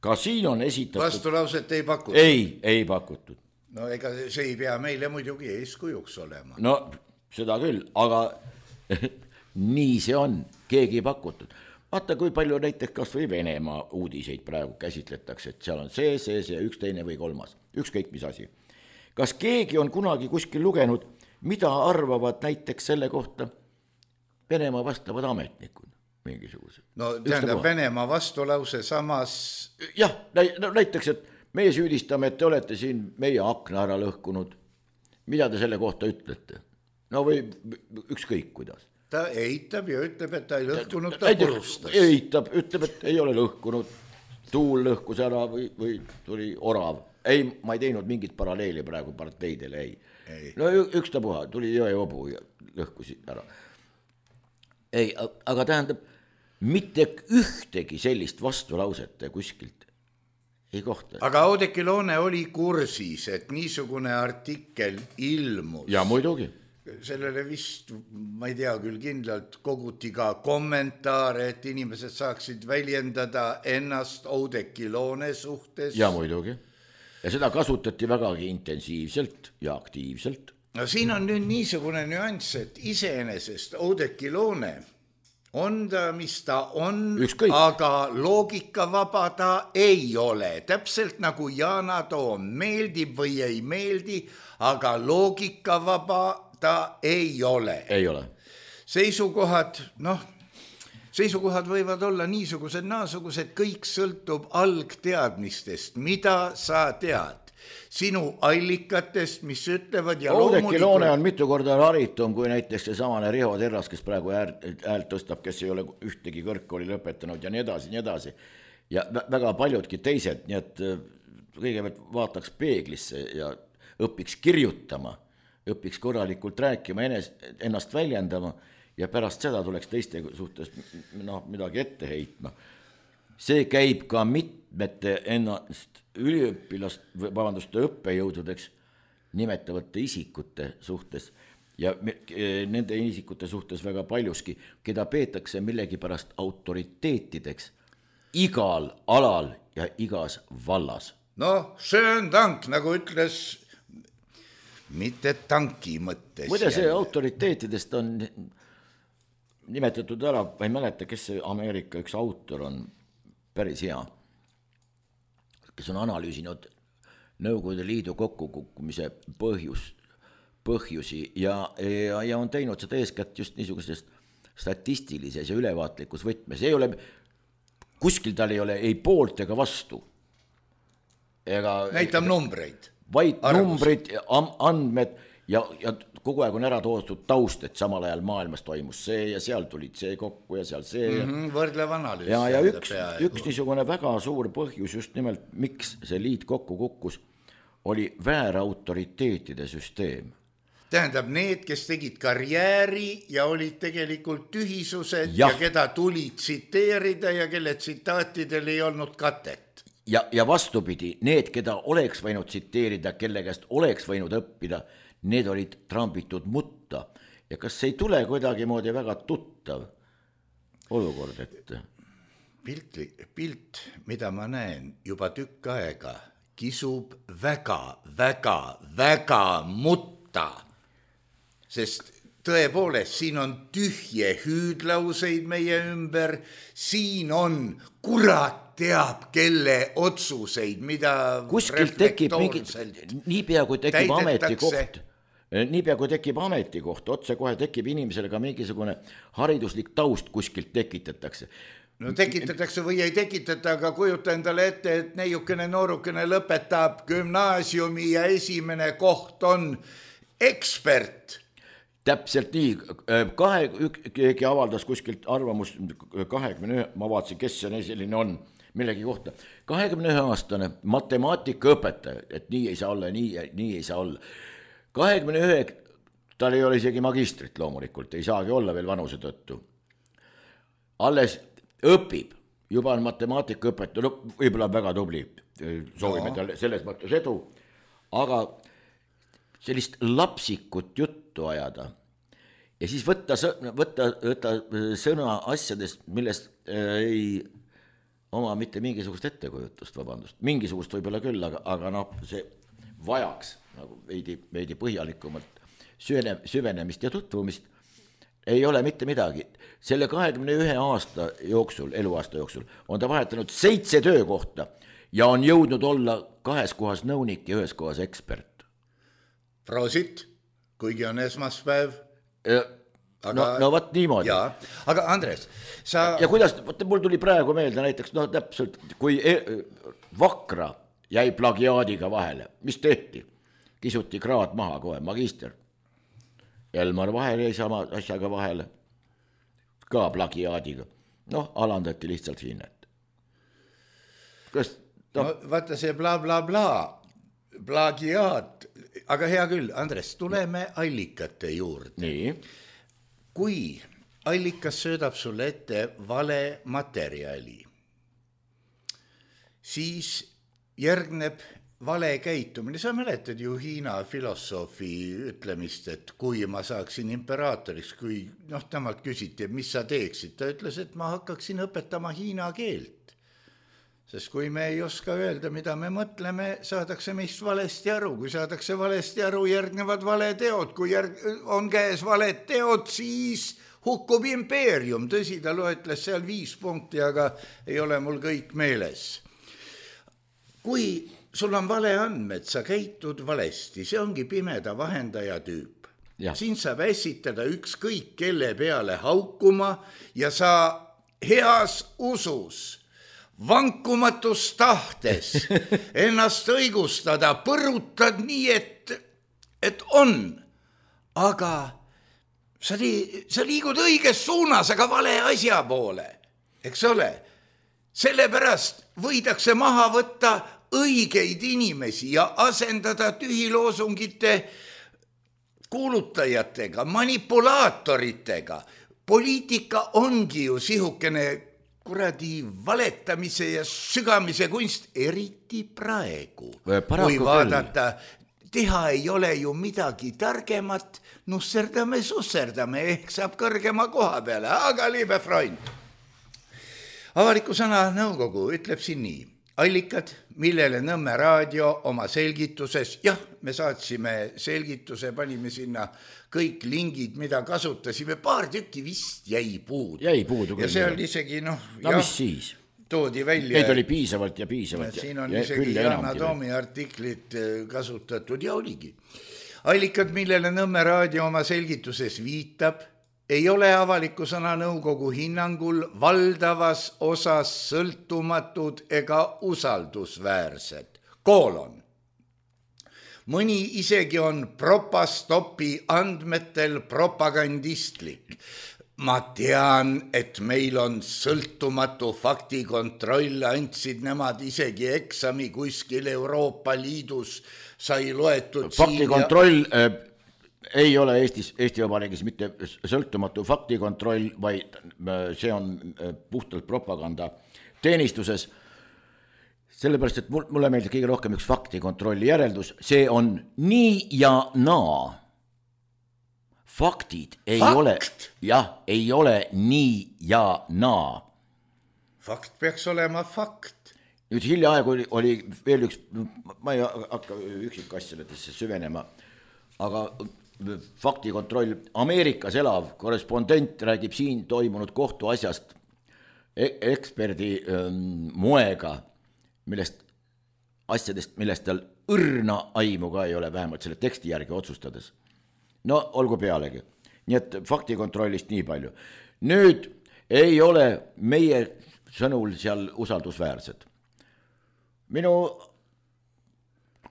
Ka siin on esitatud... Vastulauset ei pakutud? Ei pakutud. No ega see ei pea meile muidugi eeskujuks olema. No seda küll, aga nii see on, keegi ei pakutud. Vaata, kui palju näiteks kas või Venemaa uudiseid praegu käsitletakse, et seal on see, üks teine või kolmas, ükskõik mis asi. Kas keegi on kunagi kuskil lugenud, mida arvavad näiteks selle kohta Venemaa vastavad ametnikud mingisugused? No tähendab Venemaa vastulause samas... Jah, näiteks, et meie süüdistame, et te olete siin meie akna ära lõhkunud. Mida te selle kohta ütlete? No või ükskõik kuidas. Ta eitab ja ütleb, et ta ei lõhkunud, ta purustas. Eitab, ütleb, et ei ole lõhkunud, tuul lõhkus ära või tuli orav. Ei, ma ei teinud mingit paralleeli praegu parteidele, ei. No ükstapuha, tuli jõeobu ja lõhkusi ära. Ei, aga tähendab, mitte ühtegi sellist vastulauset kuskilt ei kohta. Aga Oudekki Loone oli kursis, et niisugune artikkel ilmus. Ja muidugi. Sellele vist, ma ei tea küll kindlalt, koguti ka kommentaare, et inimesed saaksid väljendada ennast Oudekki Loone suhtes. Ja muidugi. Ja seda kasutati vägagi intensiivselt ja aktiivselt. No siin on nüüd niisugune nüanss, et iseenesest Oudekki Loone on ta, mis ta on, ükskõik. Aga loogikavaba ta ei ole. Täpselt nagu Yana Toom meeldib või ei meeldi, aga loogikavaba ta ei ole. Ei ole. Seisukohad võivad olla niisugused, naasugused, kõik sõltub algteadmistest, mida sa tead. Sinu allikatest, mis ütlevad ja Oudekki Loone on mitu korda haritum kui näiteks see samane Riho Terras, kes praegu häält tõstab, kes ei ole ühtegi kõrgkooli lõpetanud ja nii edasi. Ja väga paljudki teised, nii et kõigepealt vaataks peeglisse ja õpiks kirjutama, õpiks korralikult rääkima, ennast väljendama ja pärast seda tuleks teiste suhtes midagi ette heitma. See käib ka mitmete ennast õppejõududeks nimetavate isikute suhtes ja nende isikute suhtes väga paljuski, keda peetakse millegipärast autoriteetideks igal alal ja igas vallas. No, Schön Dank, nagu ütles, mitte tanki mõttes. Muide, see autoriteetidest on nimetatud ära, ma ei mäleta, kes see Ameerika üks autor on, päris hea, kes on analüüsinud Nõukogude Liidu kokkukukkumise põhjusi ja on teinud seda eeskätt just niisugusest statistilises ja ülevaatlikus võtmes. Ei ole, kuskil tal ei ole ei poolt ega vastu. Näitab numbreid. Vaid numbrid, andmed ja kogu aeg on ära toodud taust, et samal ajal maailmas toimus see ja seal tulid see kokku ja seal see. Võrdlev analüüs. Ja üks niisugune väga suur põhjus just nimelt, miks see liit kokku kukkus, oli väärautoriteetide süsteem. Tähendab, need, kes tegid karjääri ja olid tegelikult tühisused ja keda tuli tsiteerida ja kelle tsitaatidel ei olnud katet. Ja vastupidi, need, keda oleks võinud tsiteerida, kelle käest oleks võinud õppida, need olid trambitud mutta. Ja kas see ei tule kuidagi moodi väga tuttav olukord, et... Pilt, mida ma näen juba tükk aega, kisub väga mutta. Sest tõepoolest, siin on tühje hüüdlauseid meie ümber, siin on kurat teab, kelle otsuseid, mida kuskilt tekib mingi, niipea kui tekib ametikoht, otsekohe tekib inimesele ka mingisugune hariduslik taust kuskilt tekitatakse. No tekitatakse või ei tekitata, aga kujuta endale ette, et neiukene noorukene lõpetab gümnaasiumi ja esimene koht on ekspert. Täpselt nii, keegi avaldas kuskilt arvamust 21, ma vaatasin, kes see selline on, millegi kohta. 21-aastane matemaatikaõpetaja, et nii ei saa olla, nii ei saa olla. 21, tal ei ole isegi magistrit loomulikult, ei saagi olla veel vanuse tõttu. Alles õpib, juba on matemaatikaõpetaja, no võib-olla väga tubli, soovime talle selles mõttes edu, aga sellist lapsikut juttu ajada ja siis võtta sõna asjadest, millest ei oma mitte mingisugust ettekujutust, vabandust, mingisugust võib-olla küll, aga noh, see vajaks nagu veidi põhjalikumalt süvenemist ja tutvumist, ei ole mitte midagi. Selle 21 aasta jooksul, eluaasta jooksul on ta vahetanud 7 töökohta ja on jõudnud olla 2 kohas nõunik ja 1 kohas ekspert. Prosit, kuigi on esmaspäev. No võt niimoodi. Jaa, aga Andres, sa... Ja kuidas, mul tuli praegu meelde näiteks, no täpselt, kui Vakra jäi plagiaadiga vahele, mis tehti? Kisuti kraad maha kohe, magister. Elmar Vaher jäi sama asjaga vahele, ka plagiaadiga. Noh, alandati lihtsalt hinnet. No vaata see bla bla bla, plagiaat, aga hea küll, Andres, tuleme allikate juurde. Nii. Kui allikas söödab sulle ette vale materjali, siis järgneb vale käitumine. Sa mäletad ju Hiina filosoofi ütlemist, et kui ma saaksin imperaatoriks, kui temalt küsiti, mis sa teeksid, ta ütles, et ma hakkaksin õpetama hiina keelt. Sest kui me ei oska öelda, mida me mõtleme, saadakse meist valesti aru. Kui saadakse valesti aru, järgnevad valeteod. Kui on käes valed teod, siis hukkub impeerium. Tõsi, ta loetles seal 5 punkti, aga ei ole mul kõik meeles. Kui sul on vale andmed, sa käitud valesti, see ongi pimeda vahendaja tüüp. Ja. Siin saab esitada ükskõik kelle peale haukuma ja sa heas usus vankumatus tahtes ennast õigustada, põrutad nii, et on, aga sa liigud õiges suunas, aga vale asja poole, eks ole. Sellepärast võidakse maha võtta õigeid inimesi ja asendada tühiloosungite kuulutajatega, manipulaatoritega. Poliitika ongi ju sihukene kuradi valetamise ja sügamise kunst, eriti praegu. Kui vaadata, teha ei ole ju midagi targemat, nusserdame, ehk saab kõrgema koha peale, aga liebe Freund. Avaliku sõna nõukogu ütleb siin nii. Allikad, millele Nõmme raadio oma selgituses, me saatsime selgituse, panime sinna kõik lingid, mida kasutasime, paar tükki vist jäi puudu. Jäi puudu küll. Ja see oli isegi, mis siis? Toodi välja. Neid oli piisavalt. Siin on isegi Yana Toomi artiklid kasutatud ja oligi. Allikad, millele Nõmme raadio oma selgituses viitab, ei ole avaliku sõna nõukogu hinnangul valdavas osas sõltumatud ega usaldusväärsed. Mõni isegi on propastopi andmetel propagandistlik. Ma tean, et meil on sõltumatu faktikontroll, andsid nemad isegi eksami kuskil Euroopa Liidus, sai loetud faktikontroll ei ole Eesti Vabariigis mitte sõltumatu faktikontroll, vaid see on puhtalt propaganda teenistuses. Sellepärast, et mulle meeldib kõige rohkem üks faktikontrolli järeldus, see on nii ja naa. Faktid ei ole nii ja naa. Fakt peaks olema fakt. Nüüd hiljaaegu oli veel üks, ma ei hakka üksikasjadesse süvenema, aga faktikontroll, Ameerikas elav korrespondent räägib siin toimunud kohtuasjast eksperdi moega, asjadest, millest tal õrna aimu ka ei ole, vähemalt selle teksti järgi otsustades. No olgu pealegi. Nii et faktikontrollist nii palju. Nüüd ei ole meie sõnul seal usaldusväärsed.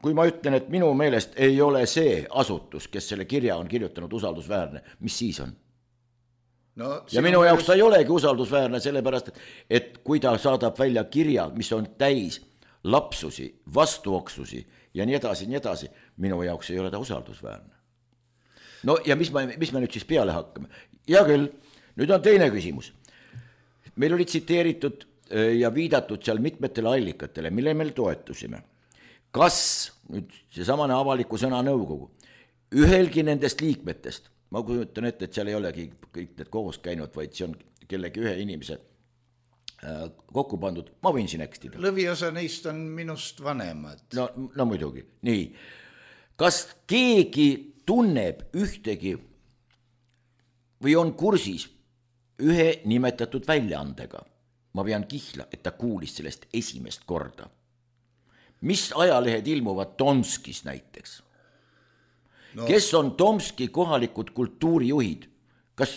Kui ma ütlen, et minu meelest ei ole see asutus, kes selle kirja on kirjutanud usaldusväärne, mis siis on? No, ja minu jaoks ta ei olegi usaldusväärne, sellepärast, et kui ta saadab välja kirja, mis on täis lapsusi, vastuoksusi ja nii edasi, minu jaoks ei ole ta usaldusväärne. No ja mis me nüüd siis peale hakkame? Ja küll, nüüd on teine küsimus. Meil oli tsiteeritud ja viidatud seal mitmetele allikatele, mille meil toetusime. Kas nüüd seesamane avaliku sõna nõukogu, ühelgi nendest liikmetest, ma kujutan ette, et seal ei olegi kõik need koos käinud, vaid see on kellegi ühe inimese kokku pandud, ma võin siin ekstida. Lõviosa neist on minust vanemad. No muidugi, nii. Kas keegi tunneb ühtegi või on kursis ühe nimetatud väljaandega? Ma pean kihla, et ta kuulis sellest esimest korda. Mis ajalehed ilmuvad Tomskis näiteks? No. Kes on Tomski kohalikud kultuurijuhid? Kas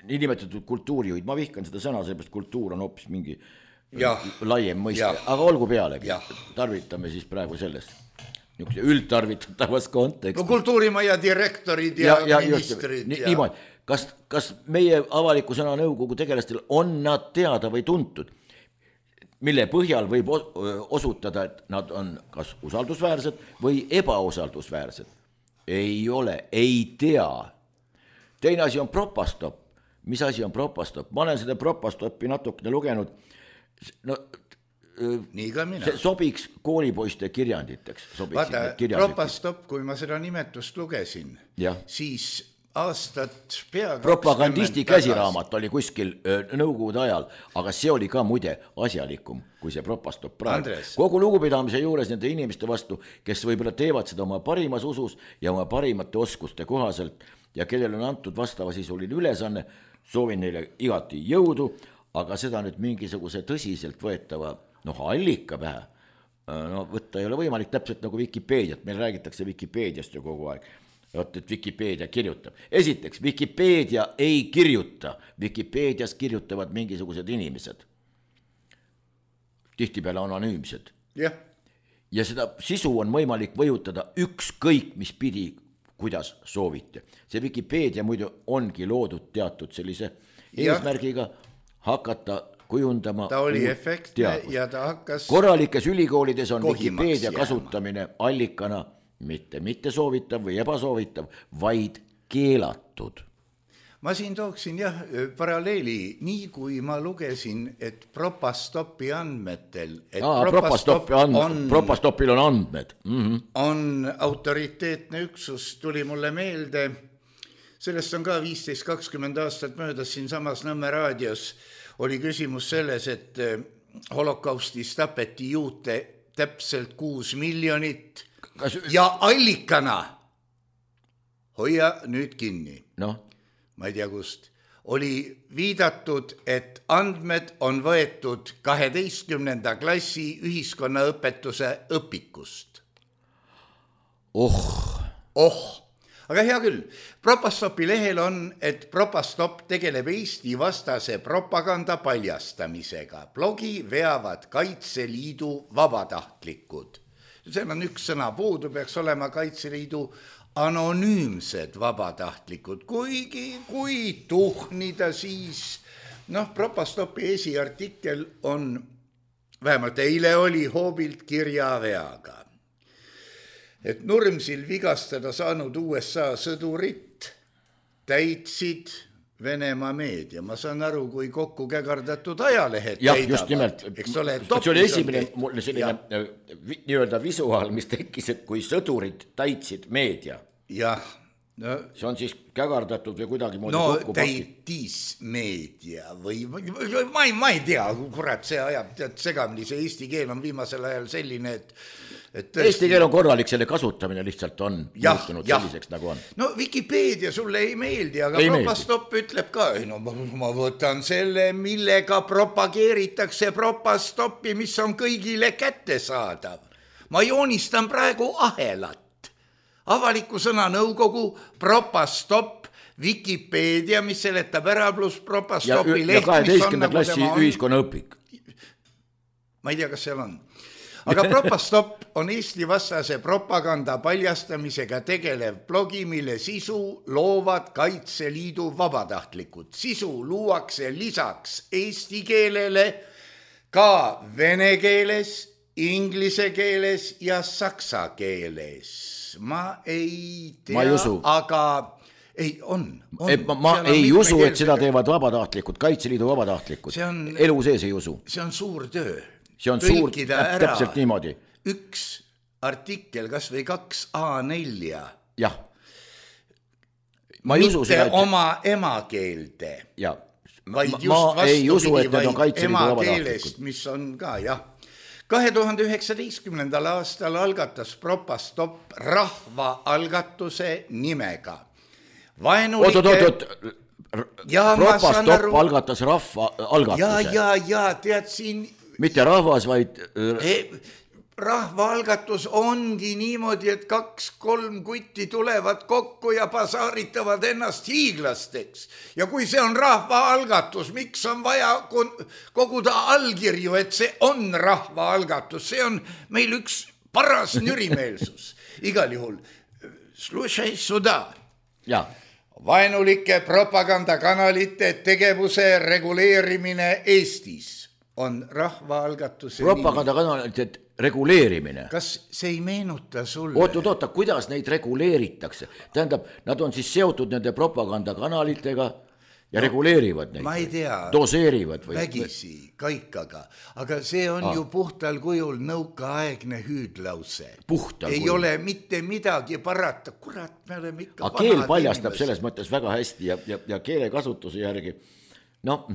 nimetatud kultuurijuhid, ma vihkan seda sõna, seepärast kultuur on hoopis mingi laiem mõiste, aga olgu pealegi, tarvitame siis praegu sellest. Üldtarvitatavas kontekst. No kultuurimaja direktorid ja ministrid. Niimoodi, kas meie avaliku sõna nõukogu tegelastel on nad teada või tuntud, mille põhjal võib osutada, et nad on kas usaldusväärsed või ebausaldusväärsed? Ei ole, ei tea. Teine asi on propastop. Mis asi on propastop? Ma olen seda propastoppi natukene lugenud. No, nii ka mina. See sobiks koolipoiste kirjanditeks. Vaata, propastop, kui ma seda nimetust lugesin, siis aastat peaaegu propagandisti käsiraamat oli kuskil nõukogude ajal, aga see oli ka muide asjalikum kui see propastop praegu. Kogu lugupidamise juures nende inimeste vastu, kes võib-olla teevad seda oma parimas usus ja oma parimate oskuste kohaselt ja kellel on antud vastavasisuline ülesanne, soovin neile igati jõudu, aga seda nüüd mingisuguse tõsiselt võetava allika pähe võtta ei ole võimalik, täpselt nagu Wikipeediat, meil räägitakse Wikipeediast ju kogu aeg. Et Wikipeedia kirjutab. Esiteks, Wikipeedia ei kirjuta. Wikipeedias kirjutavad mingisugused inimesed. Tihtipeale anonüümsed. Ja seda sisu on võimalik võjutada ükskõik, mis pidi, kuidas soovite. See Wikipeedia muidu ongi loodud teatud sellise eesmärgiga hakata kujundama. Ta oli efektne ja ta hakkas. Korralikes ülikoolides on Wikipeedia kasutamine allikana mitte soovitav või ebasoovitav, vaid keelatud. Ma siin tooksin paralleeli, nii kui ma lugesin, et propastopi andmetel, et propastopil on andmed. On autoriteetne üksus, tuli mulle meelde, sellest on ka 15-20 aastat möödas siin samas Nõmme raadios, oli küsimus selles, et holokaustis tapeti juute täpselt 6 miljonit ja allikana, hoia nüüd kinni, ma ei tea kust, oli viidatud, et andmed on võetud 12. klassi ühiskonnaõpetuse õpikust. Aga hea küll, Propastopi lehel on, et Propastop tegeleb Eesti vastase propaganda paljastamisega. Blogi veavad Kaitseliidu vabatahtlikud. Seal on üks sõna puudu, peaks olema Kaitseliidu anonüümsed vabatahtlikud, kuigi kui tuhnida siis, Propastopi esiartikkel on, vähemalt eile oli hoobilt kirjaveaga, et Nurmsil vigastada saanud USA sõdurit täitsid Venemaa meedia. Ma saan aru, kui kokku kägardatud ajalehed täidavad. Just nimelt. See oli esimene selline nii-öelda visuaal, mis tekkis, et kui sõdurid täitsid meedia. See on siis kägardatud või kuidagi moodi kokku pakid. Täitis meedia või ma ei tea, kurat, see ajab segamini, see eesti keel on viimasel ajal selline, et Eesti keel on korralik, selle kasutamine lihtsalt on muutunud selliseks nagu on. No Wikipedia sulle ei meeldi, aga Propastop ütleb ka, no ma võtan selle, millega propageeritakse Propastopi, mis on kõigile kättesaadav. Ma joonistan praegu ahelat. Avaliku sõna nõukogu, Propastop, Wikipedia, mis seletab ära pluss Propastopi leht, mis on nagu klassi ühiskonnaõpik. Ma ei tea, kas seal on. Aga Propastop on Eesti vastase propaganda paljastamisega tegelev blogi, mille sisu loovad Kaitseliidu vabatahtlikud. Sisu luuakse lisaks eesti keelele ka vene keeles, inglise keeles ja saksa keeles. Ma ei tea, ma ei usu. Aga ei, on. Ma ei usu, et seda teevad vabatahtlikud, Kaitseliidu vabatahtlikud. Elu sees ei usu. See on suur töö. See on suur, täpselt niimoodi. Üks artikkel, kas või 2 A4. Jah. Ma ei usu seda, et oma emakeelde. Ja. Vaid just ma ei usu, et need on Kaitseliidu vabatahtlikud. Mis on ka, jah. 2019. aastal algatas Propastop rahvaalgatuse nimega. Oot. Propastop algatas rahvaalgatuse. Ja, tead siin... Mitte rahvas, vaid... Rahvaalgatus ongi niimoodi, et 2-3 kutti tulevad kokku ja pasaaritavad ennast hiiglasteks. Ja kui see on rahvaalgatus, miks on vaja koguda allkirju, et see on rahvaalgatus? See on meil üks paras nürimeelsus. Igal juhul, slušaj suda. Ja. Vaenulike propagandakanalite tegevuse reguleerimine Eestis on rahvaalgatuse propagandakanalite reguleerimine. Kas see ei meenuta sulle? Oota, kuidas neid reguleeritakse? Tähendab, nad on siis seotud nende propagandakanalitega ja reguleerivad neid. Ma ei tea. Doseerivad. Vägisi, kaikaga. Aga see on ju puhtal kujul nõukaaegne hüüdlause. Puhtal ei kujul. Ole mitte midagi parata. Kurat, me oleme ikka vanad inimesed. Keel paljastab selles mõttes väga hästi ja keelekasutuse järgi. No...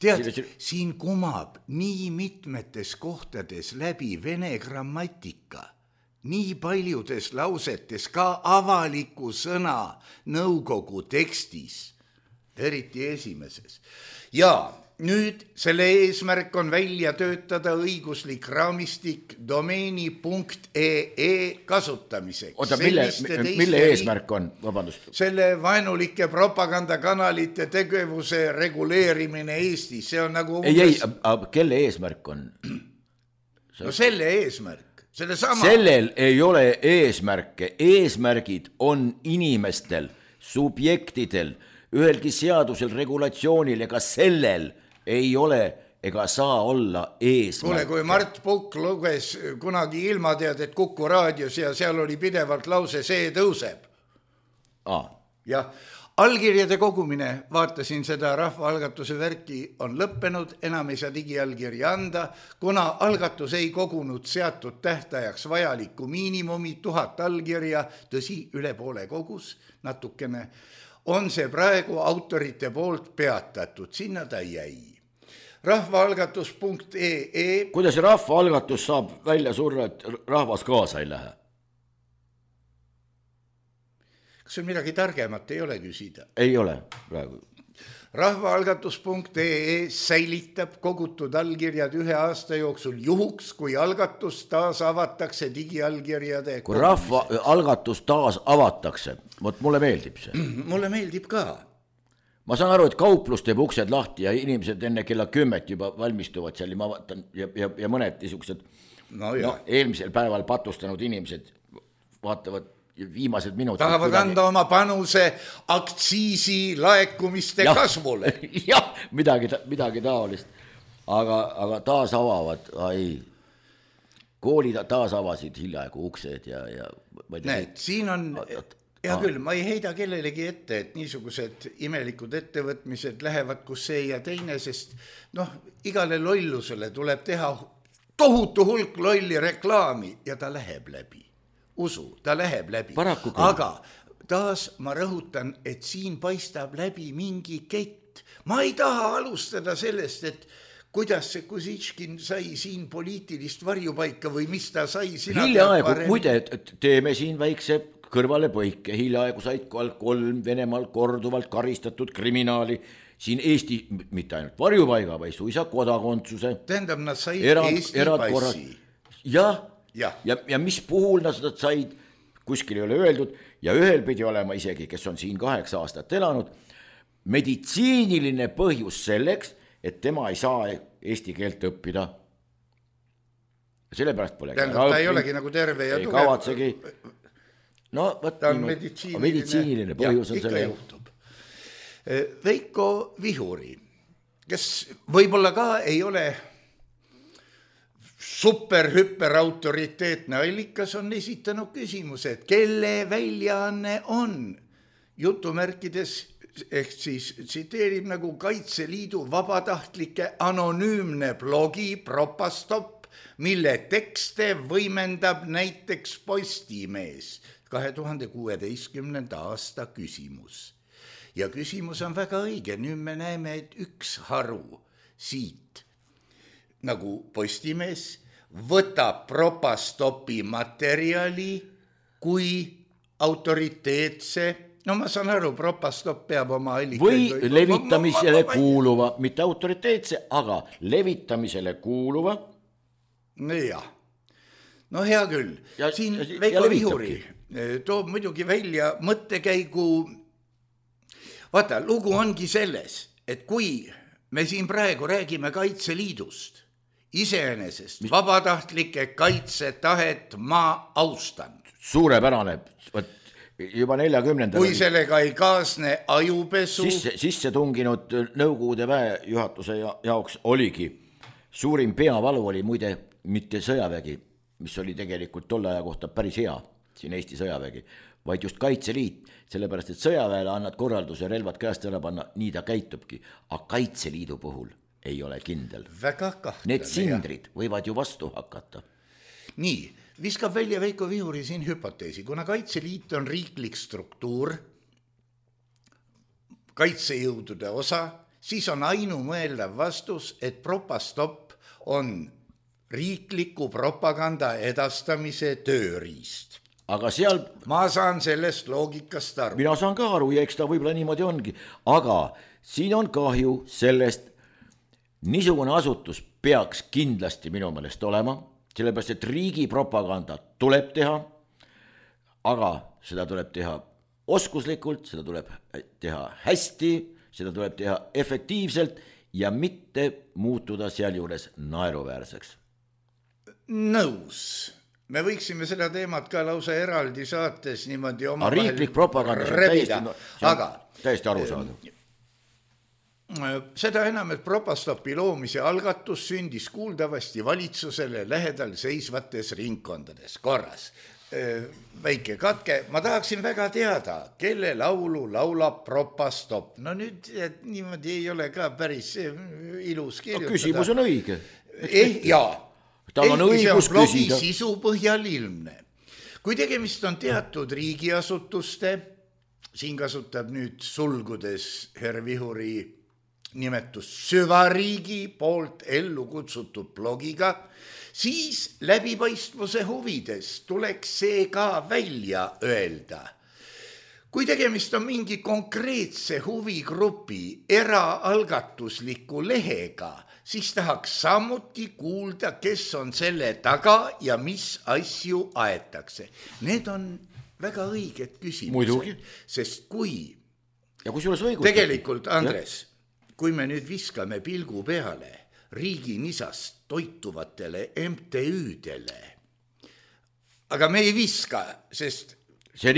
Tead, siin kumab nii mitmetes kohtades läbi vene grammatika, nii paljudes lausetes ka avaliku sõna nõukogu tekstis, eriti esimeses. Ja nüüd selle eesmärk on välja töötada õiguslik raamistik domeeni.ee kasutamiseks. Oota, mille eesmärk on? Vabandust. Selle vaenulike propagandakanalite tegevuse reguleerimine Eestis. See on nagu... Ei, kelle eesmärk on? No selle eesmärk. Sellel ei ole eesmärke. Eesmärgid on inimestel, subjektidel, ühelgi seadusel, regulatsioonil ega sellel ei ole ega saa olla eesmärk. Kuule, kui Mart Pukk luges kunagi ilmateadet Kuku raadios ja seal oli pidevalt lause see tõuseb. Ja allkirjade kogumine, vaatasin seda rahvaalgatuse värki, on lõppenud, enam ei saa digiallkirja anda, kuna algatus ei kogunud seatud tähtajaks vajalikku miinimumi 1000 allkirja, tõsi, üle poole kogus, natukene, on see praegu autorite poolt peatatud, sinna ta jäi. Rahvaalgatus.ee. Kuidas rahvaalgatus saab välja surra, et rahvas kaasa ei lähe? Kas sul midagi targemat ei ole küsida? Ei ole praegu. Rahvaalgatus.ee säilitab kogutud allkirjad 1 aasta jooksul juhuks, kui algatus taas avatakse digiallkirjade. Kui rahvaalgatus taas avatakse, mulle meeldib see. Mulle meeldib ka. Ma saan aru, et kauplus teeb uksed lahti ja inimesed enne kella 10 juba valmistuvad seal ja ma vaatan ja mõned niisugused eelmisel päeval patustanud inimesed vaatavad viimased minutid. Tahavad anda oma panuse aktsiisi laekumiste kasvule. Jah, midagi taolist. Aga taas avavad, koolid taas avasid hiljaaegu uksed ja näed, siin on... Ja küll, ma ei heida kellelegi ette, et niisugused imelikud ettevõtmised lähevad kus see ja teine, sest igale lollusele tuleb teha tohutu hulk lolli reklaami ja ta läheb läbi. Usu, ta läheb läbi. Aga taas ma rõhutan, et siin paistab läbi mingi kett. Ma ei taha alustada sellest, et kuidas see Kusitškin sai siin poliitilist varjupaika või mis ta sai? Hiljaaegu, muide, teeme siin väikse kõrvalepõike, hiljaaegu said 3 Venemaal korduvalt karistatud kriminaali siin Eesti, mitte ainult varjupaiga, vaid suisa kodakondsuse. Tähendab, nad said Eesti passi. Ja mis puhul nad said, kuskil ei ole öeldud, ja ühel pidi olema isegi, kes on siin 8 aastat elanud, meditsiiniline põhjus selleks, et tema ei saa eesti keelt õppida. Sellepärast pole. Tähendab, ta ei olegi nagu terve ja tugev. Kavatsegi. No, ta on meditsiiniline põhjus on selle. Veiko Vihuri, kes võib-olla ka ei ole super-hüper autoriteetne allikas, on esitanud küsimuse, et kelle väljaanne on jutumärkides ehk siis tsiteerib nagu Kaitseliidu vabatahtlike anonüümne blogi Propastop, mille tekste võimendab näiteks Postimees 2016. aasta küsimus. Ja küsimus on väga õige, nüüd me näeme, et üks haru siit nagu Postimees võtab Propastopi materjali kui autoriteetse. No ma saan aru, Propastop peab oma allikaid. Või levitamisele kuuluva, mitte autoriteetse, aga levitamisele kuuluva. Jah. No hea küll. Siin Veiko Vihuri toob muidugi välja mõttekäigu. Vaata, lugu ongi selles, et kui me siin praegu räägime Kaitseliidust, iseenesest vabatahtlike kaitsetahet ma austan. Suurepärane, juba 40. Kui sellega ei kaasne ajupesu. Sisse tunginud Nõukogude väejuhatuse jaoks oligi. Suurim peavalu oli muide mitte sõjavägi, mis oli tegelikult tolle aja kohta päris hea, siin Eesti sõjavägi, vaid just Kaitseliit, sellepärast et sõjaväele annad korralduse relvad käest ära panna, nii ta käitubki, aga Kaitseliidu puhul ei ole kindel. Väga kahtlane. Need sindrid võivad ju vastu hakata. Nii, viskab välja Veiko Vihuri siin hüpoteesi, kuna Kaitseliit on riiklik struktuur, kaitsejõudude osa, siis on ainumõeldav vastus, et Propastop on riikliku propaganda edastamise tööriist. Aga seal... Ma saan sellest loogikast aru. Mina saan ka aru ja eks ta võib-olla niimoodi ongi, aga siin on kahju sellest, niisugune asutus peaks kindlasti minu meelest olema, sellepärast, et riigi propaganda tuleb teha, aga seda tuleb teha oskuslikult, seda tuleb teha hästi, seda tuleb teha efektiivselt ja mitte muutuda sealjuures naeruväärseks. Nõus. Me võiksime seda teemat ka lausa eraldi saates niimoodi oma riiklik propaganda täiesti aru saada. Seda enam, et Propastopi loomise algatus sündis kuuldavasti valitsusele lähedal seisvates ringkondades. Korras. Väike katke. Ma tahaksin väga teada, kelle laulu laulab Propastop. No nüüd niimoodi ei ole ka päris ilus kirjutada. Küsimus on õige. Jaa. Tal on õigus küsida. Sisu põhjal ilmne. Kui tegemist on teatud riigiasutuste, siin kasutab nüüd sulgudes Herr Vihuri nimetus süvariigi poolt ellu kutsutud blogiga, siis läbipaistvuse huvides tuleks see ka välja öelda. Kui tegemist on mingi konkreetse huvigrupi eraalgatusliku lehega, siis tahaks samuti kuulda, kes on selle taga ja mis asju aetakse. Need on väga õiged küsimused. Muidugi. Sest kui... Ja kui sules õigus... Tegelikult, Andres, kui me nüüd viskame pilgu peale riigi nisast toituvatele MTÜ-dele, aga me ei viska, sest... See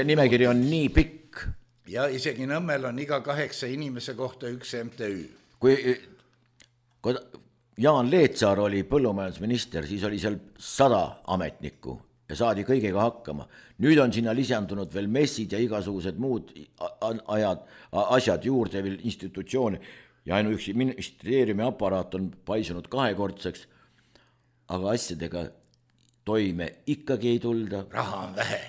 nimekiri on nii pikk. Ja isegi Nõmmel on iga 8 inimese kohta üks MTÜ. Kui Jaan Leetsaar oli põllumajandusminister, siis oli seal 100 ametnikku ja saadi kõigega hakkama. Nüüd on sinna lisandunud veel messid ja igasugused muud asjad juurde veel institutsioone ja ainuüksi ministeeriumi aparaat on paisunud 2-kordseks, aga asjadega toime ikkagi ei tulda. Raha on vähe.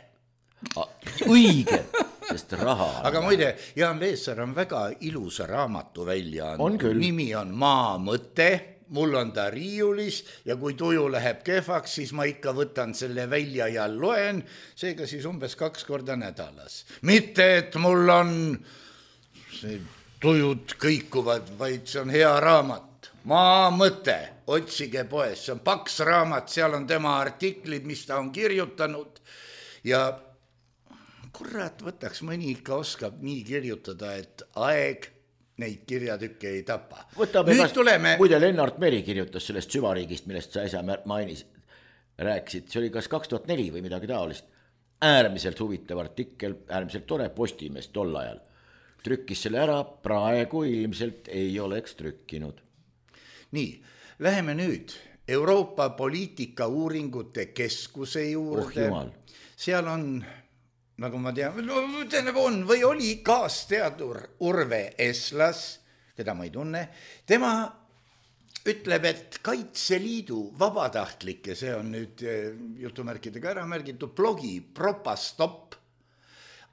Õige, sest raha aga muide, Jaan Veessaar on väga ilusa raamatu välja andnud. Nimi on Maa mõte, mul on ta riiulis ja kui tuju läheb kehvaks, siis ma ikka võtan selle välja ja loen, seega siis umbes 2 korda nädalas. Mitte, et mul on tujud kõikuvad, vaid see on hea raamat. Maa mõte, otsige poes, see on paks raamat, seal on tema artiklid, mis ta on kirjutanud ja kurat, võtaks mõni ikka oskab nii kirjutada, et aeg neid kirjatükke ei tapa. Muide, Lennart Meri kirjutas sellest süvariigist, millest sa äsja rääkisid, see oli kas 2004 või midagi taolist. Äärmiselt huvitav artikkel, äärmiselt tore, Postimees tol ajal. Trükkis selle ära, praegu ilmselt ei oleks trükkinud. Nii, läheme nüüd Euroopa poliitika uuringute keskuse juurde. Seal on, nagu ma tean, on või oli kaasteadur Urve Eslas, keda ma ei tunne. Tema ütleb, et Kaitseliidu vabatahtlike, see on nüüd jutumärkidega ära märgitud, blogi Propastop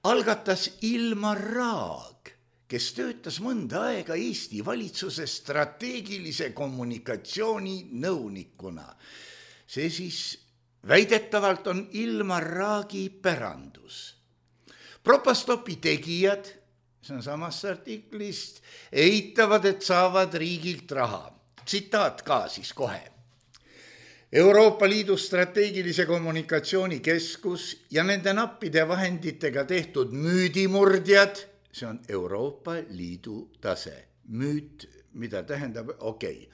algatas Ilmar Raag, kes töötas mõnda aega Eesti valitsuse strateegilise kommunikatsiooni nõunikuna. See siis väidetavalt on Ilmar Raagi pärandus. Propastopi tegijad, see on samast artiklist, eitavad, et saavad riigilt raha. Tsitaat ka siis kohe. Euroopa Liidu strateegilise kommunikatsiooni keskus ja nende nappide vahenditega tehtud müüdimurdjad, see on Euroopa Liidu tase. Müüt, mida tähendab, okei.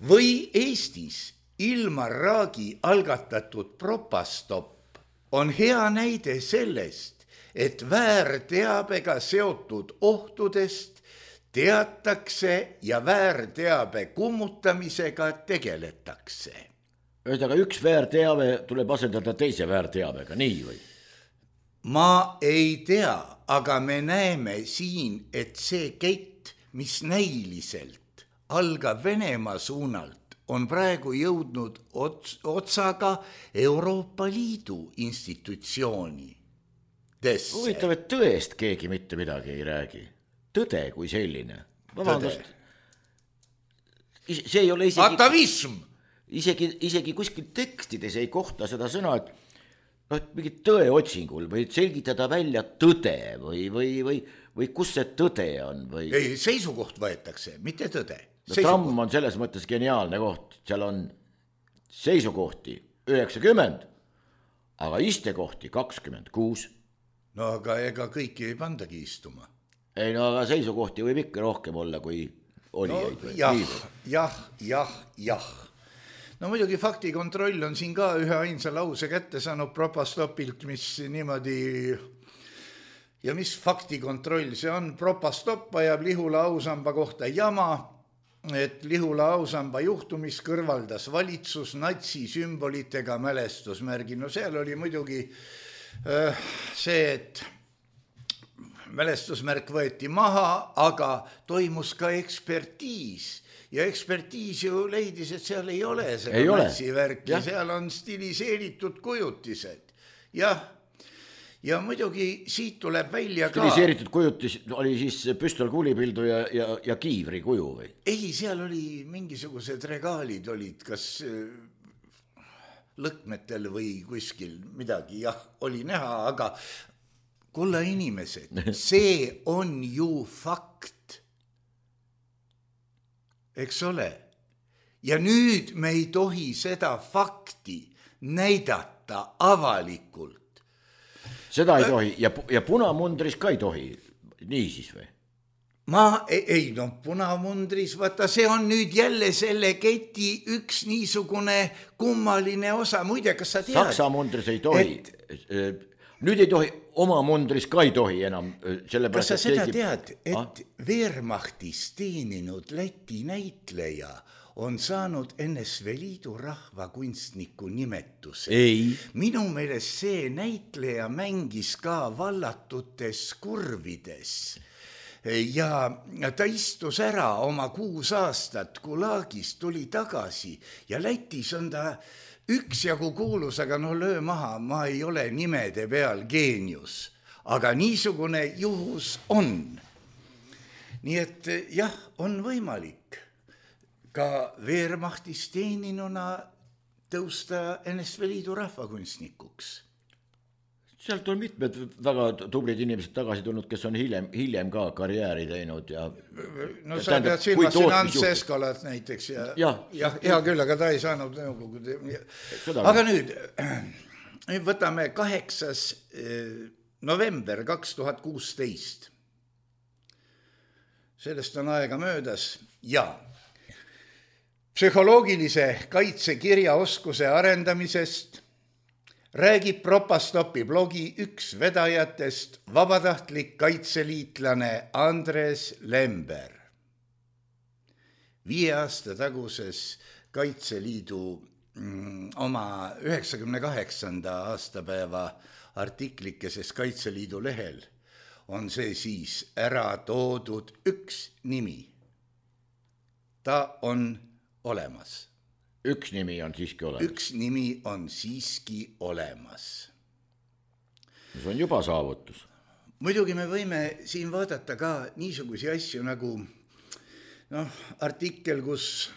Või Eestis Ilmar Raagi algatatud Propastop on hea näide sellest, et väärteabega seotud ohtudest teatakse ja väärteabe kummutamisega tegeletakse. Ühesõnaga, üks väärteave tuleb asendada teise väärteabega, nii või? Ma ei tea, aga me näeme siin, et see kett, mis näiliselt algab Venemaa suunalt, on praegu jõudnud otsaga Euroopa Liidu institutsiooni. Huvitav, et tõest keegi mitte midagi ei räägi. Tõde kui selline. Vabandust. See ei ole isegi... Atavism! Isegi kuskil tekstides ei kohta seda sõna, et mingi tõeotsingul või selgitada välja tõde või kus see tõde on? Ei, seisukoht võetakse, mitte tõde. Tramm on selles mõttes geniaalne koht, seal on seisukohti 90, aga istekohti 26. No aga ega kõiki ei pandagi istuma. Ei, no aga seisukohti võib ikka rohkem olla kui olijaid. Jah. No muidugi faktikontroll on siin ka ühe ainsa lause kätte saanud Propastopilt, mis niimoodi, ja mis faktikontroll see on, Propastop ajab Lihula ausamba kohta jama, et Lihula ausamba juhtumis kõrvaldas valitsus natsisümbolitega mälestusmärgi. No seal oli muidugi see, et mälestusmärk võeti maha, aga toimus ka ekspertiis. Ja ekspertiis ju leidis, et seal ei ole seda natsivärki, seal on stiliseeritud kujutised. Ja muidugi siit tuleb välja ka... Stiliseeritud kujutis oli siis püstol kuulipildu ja kiivri kuju või? Ei, seal oli mingisugused regaalid olid, kas lõkmetel või kuskil midagi, oli näha, aga kulla inimesed, see on ju fakt. Eks ole. Ja nüüd me ei tohi seda fakti näidata avalikult. Seda ei tohi ja punamundris ka ei tohi, nii siis või? Punamundris, vaata, see on nüüd jälle selle keti üks niisugune kummaline osa. Muide, kas sa tead? Saksa mundris ei tohi. Nüüd ei tohi, oma mundris ka ei tohi enam. Kas sa seda tead, et Wehrmachtis teeninud Läti näitleja on saanud NSV Liidu rahvakunstniku nimetuse? Ei. Minu meelest see näitleja mängis ka vallatutes kurvides. Ja ta istus ära oma 6 aastat Gulagis, tuli tagasi ja Lätis on ta üksjagu kuulus, aga löö maha, ma ei ole nimede peal geenius. aga niisugune juhus on. Nii et jah, on võimalik ka Wehrmachtis teeninuna tõusta NSV Liidu rahvakunstnikuks. Sealt on mitmed väga tublid inimesed tagasi tulnud, kes on hiljem ka karjääri teinud. Ja, no sa pead silmas siin Ants Eskalat näiteks. Hea küll, aga ta ei saanud nõukogude. Aga nüüd võtame 8. november 2016. Sellest on aega möödas ja psühholoogilise kaitse kirjaoskuse arendamisest räägib Propastopi blogi üks vedajatest vabatahtlik kaitseliitlane Andres Lember. 5 aasta taguses Kaitseliidu oma 98. aastapäeva artiklikeses Kaitseliidu lehel on see siis ära toodud üks nimi. Ta on olemas. Üks nimi on siiski olemas. Üks nimi on siiski olemas. See on juba saavutus. Muidugi me võime siin vaadata ka niisugusi asju nagu artikkel, kus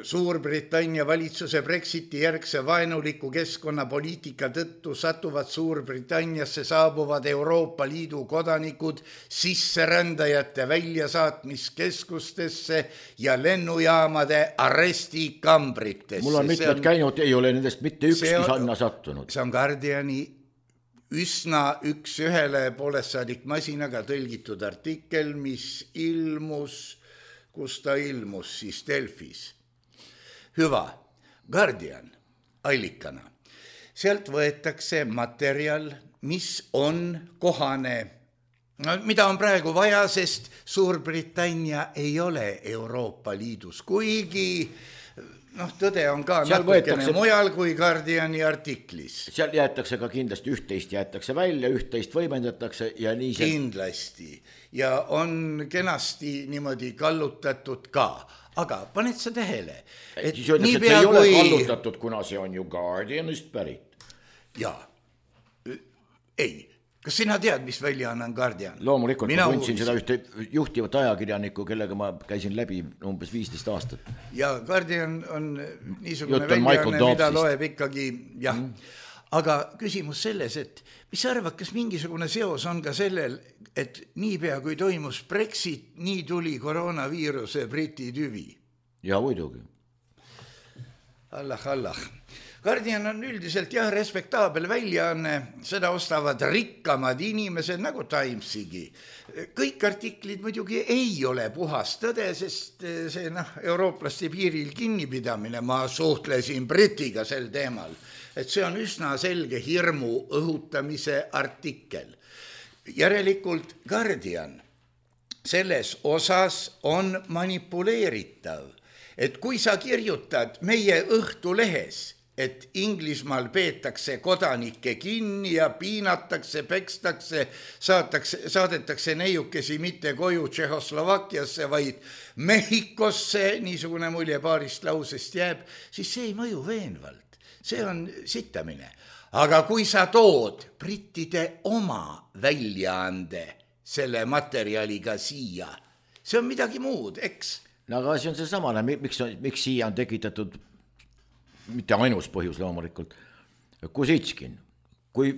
Suurbritannia valitsuse Brexiti järgse vaenuliku keskkonnapoliitika tõttu satuvad Suurbritanniasse saabuvad Euroopa Liidu kodanikud sisserändajate väljasaatmiskeskustesse ja lennujaamade arestikambritesse. Mul on mitmed käinud, ei ole nendest mitte ükski sanna sattunud. See on Guardiani üsna üks ühele poolestsaadik masinaga tõlgitud artikkel, mis ilmus, kus ta ilmus siis Delfis. Hüva, Guardian allikana. Sealt võetakse materjal, mis on kohane, mida on praegu vaja, sest Suurbritannia ei ole Euroopa Liidus, kuigi tõde on ka natukene mujal kui Guardiani artiklis. Seal jäetakse ka kindlasti üht-teist jäetakse välja, üht-teist võimendatakse ja nii see... Kindlasti. Ja on kenasti niimoodi kallutatud ka. Aga paned sa tähele, et siis öeldakse, et see ei ole kallutatud, kuna see on ju Guardianist pärit. Jaa. Ei. Kas sina tead, mis väljaanne on Guardian? Loomulikult, ma tundsin seda ühte juhtivat ajakirjanikku, kellega ma käisin läbi umbes 15 aastat. Ja Guardian on niisugune väljaanne, mida loeb ikkagi, jah. Aga küsimus selles, et mis arvad, kas mingisugune seos on ka sellel, et niipea kui toimus Brexit, nii tuli koroonaviiruse Briti tüvi? Ja muidugi. Allah. Guardian on üldiselt respektaabel väljaanne, seda ostavad rikkamad inimesed nagu Timesigi. Kõik artiklid muidugi ei ole puhas tõde, sest see eurooplaste piiril kinnipidamine, ma suhtlesin Britiga sel teemal, et see on üsna selge hirmu õhutamise artikkel. Järelikult Guardian selles osas on manipuleeritav, et kui sa kirjutad meie Õhtulehes, et Inglismaal peetakse kodanikke kinni ja piinatakse, pekstakse, saadetakse neiukesi mitte koju Tšehhoslovakkiasse, vaid Mehhikosse, niisugune mulje paarist lausest jääb, siis see ei mõju veenvalt. See on sittamine. Aga kui sa tood brittide oma väljaande selle materjaliga siia, see on midagi muud, eks? No aga see on see samane, miks siia on tekitatud mitte ainus põhjus loomulikult, Kusitskin. Kui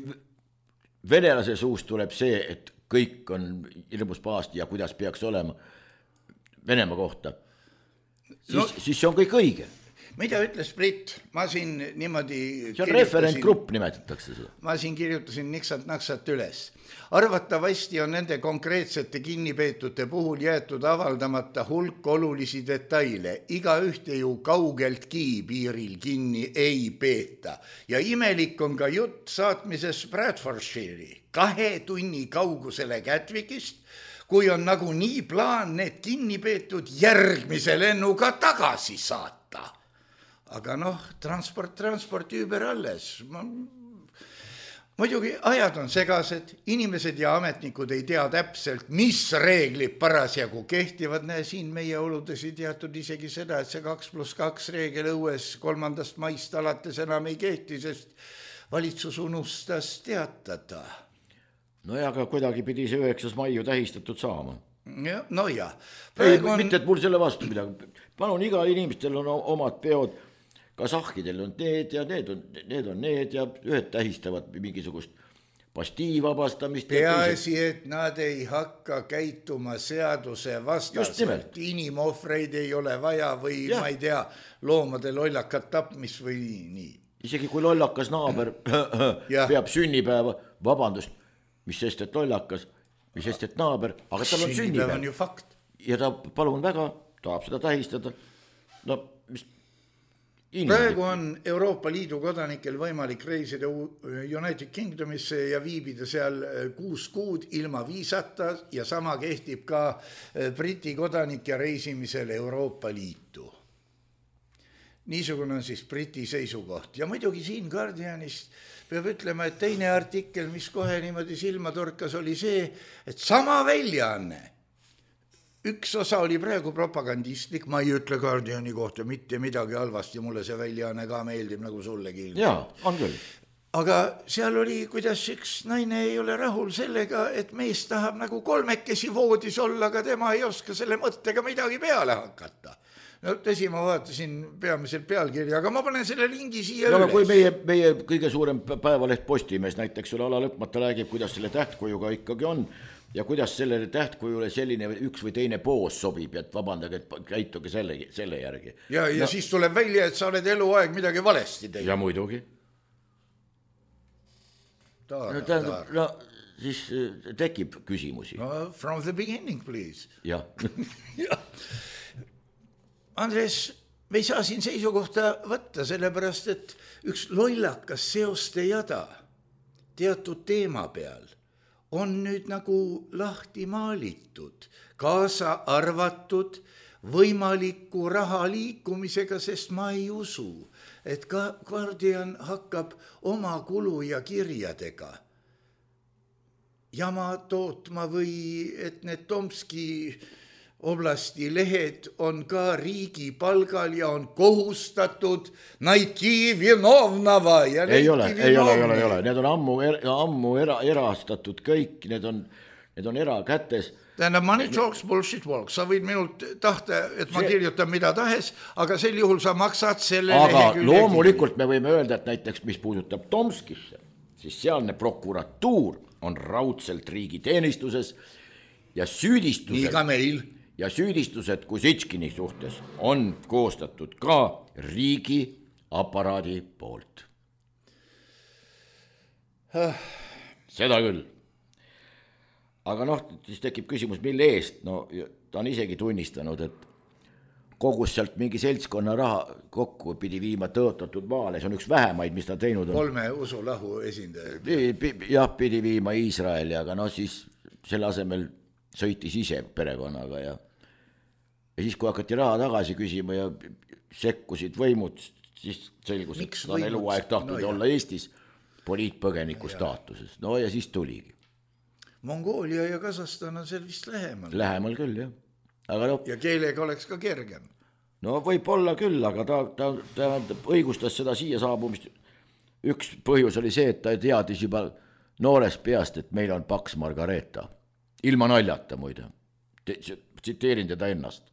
venelase suust tuleb see, et kõik on ilmus pahasti ja kuidas peaks olema Venemaa kohta, siis see on kõik õige. Mida ütles Brit? Ma siin niimoodi... See on referentgrupp nimetatakse seda. Ma siin kirjutasin niksat-naksat üles. Arvatavasti on nende konkreetsete kinnipeetute puhul jäetud avaldamata hulk olulisi detaile. Iga ühte ju kaugeltki piiril kinni ei peeta. Ja imelik on ka jutt saatmises Bradfordshire'i 2 tunni kaugusele Gatwickist, kui on nagu nii plaan need kinnipeetud järgmise lennuga tagasi saata. Aga transport üüber alles. Muidugi ajad on segased, inimesed ja ametnikud ei tea täpselt, mis reeglid parasjagu kehtivad. Näe, siin meie oludes ei teatud isegi seda, et see 2+2 reegel õues 3. maist alates enam ei kehti, sest valitsus unustas teatada. no ja aga kuidagi pidi see 9. mai ju tähistatud saama. No jah. Mitte, et mul selle vastu midagi. Palun, iga inimestel on omad peod, kasahhidel on need ja need on need ja ühed tähistavad mingisugust pastii vabastamist. Peaasi, et nad ei hakka käituma seaduse vastaselt. Inimohvreid ei ole vaja või ma ei tea, loomade lollakat tapmis või nii. Isegi kui lollakas naaber peab sünnipäeva, vabandust, mis sest, et lollakas, mis sest, et naaber, aga tal on sünnipäev. On ju fakt. Ja ta palun väga, tahab seda tähistada. No, mis... Praegu on Euroopa Liidu kodanikel võimalik reisida United Kingdomisse ja viibida seal 6 kuud ilma viisata ja sama kehtib ka Briti kodanike reisimisel Euroopa Liitu. Niisugune on siis Briti seisukoht. Ja muidugi siin Guardianist peab ütlema, et teine artikkel, mis kohe niimoodi silma torkas, oli see, et sama väljaanne. Üks osa oli praegu propagandistlik, ma ei ütle Guardiani kohta mitte midagi halvasti, mulle see väljaanne ka meeldib nagu sullegi. Jaa, on küll. Aga seal oli, kuidas üks naine ei ole rahul sellega, et mees tahab nagu 3 voodis olla, aga tema ei oska selle mõttega midagi peale hakata. No tõsi, ma vaatasin peamiselt pealkirja, aga ma panen selle lingi siia üles. Kui meie kõige suurem päevaleht Postimees näiteks sulle ala lõpmata räägib, kuidas selle tähtkujuga ikkagi on, ja kuidas sellele tähtkujule selline üks või teine poos sobib, et vabandage, et käituge selle järgi. Ja siis tuleb välja, et sa oled eluaeg midagi valesti teinud. Ja muidugi. No, siis tekib küsimusi. No, from the beginning, please. Jah. Andres, me ei saa siin seisukohta võtta, sellepärast, et üks lollakas seoste jada teatud teema peal on nüüd nagu lahti maalitud, kaasa arvatud võimaliku raha liikumisega, sest ma ei usu, et Guardian hakkab oma kulu ja kirjadega jama tootma või et need Tomski oblasti lehed on ka riigi palgal ja on kohustatud naiti vinovnava ja ei ole, need on ammu erastatud kõik, need on erakätes. Tähendab, money talks, bullshit walks, sa võid minult tahta, et ma kirjutan mida tahes, aga sel juhul sa maksad selle aga loomulikult me võime öelda, et näiteks mis puudutab Tomskisse, siis sealne prokuratuur on raudselt riigi teenistuses ja süüdistused nii ka meil. Ja süüdistused Kusitskini suhtes on koostatud ka riigi aparaadi poolt. Seda küll. Aga siis tekib küsimus, mille eest? No, ta on isegi tunnistanud, et kogus sealt mingi seltskonna raha kokku pidi viima tõotatud maale. See on üks vähemaid, mis ta teinud on. 3 usulahu esindaja. Jah, pidi viima Iisraeli, aga siis selle asemel sõitis ise perekonnaga ja siis, kui hakati raha tagasi küsima ja sekkusid võimud, siis selgus, et ta on eluaeg tahtnud olla Eestis poliitpõgeniku staatuses. No ja siis tuligi. Mongoolia ja Kasahstan on seal vist lähemal. Lähemal küll, jah. Aga ja keelega oleks ka kergem. No võib olla küll, aga ta õigustas seda siia saabumist. Üks põhjus oli see, et ta teadis juba noorest peast, et meil on paks Margareeta. Ilma naljata muide. Tsiteerin teda ennast.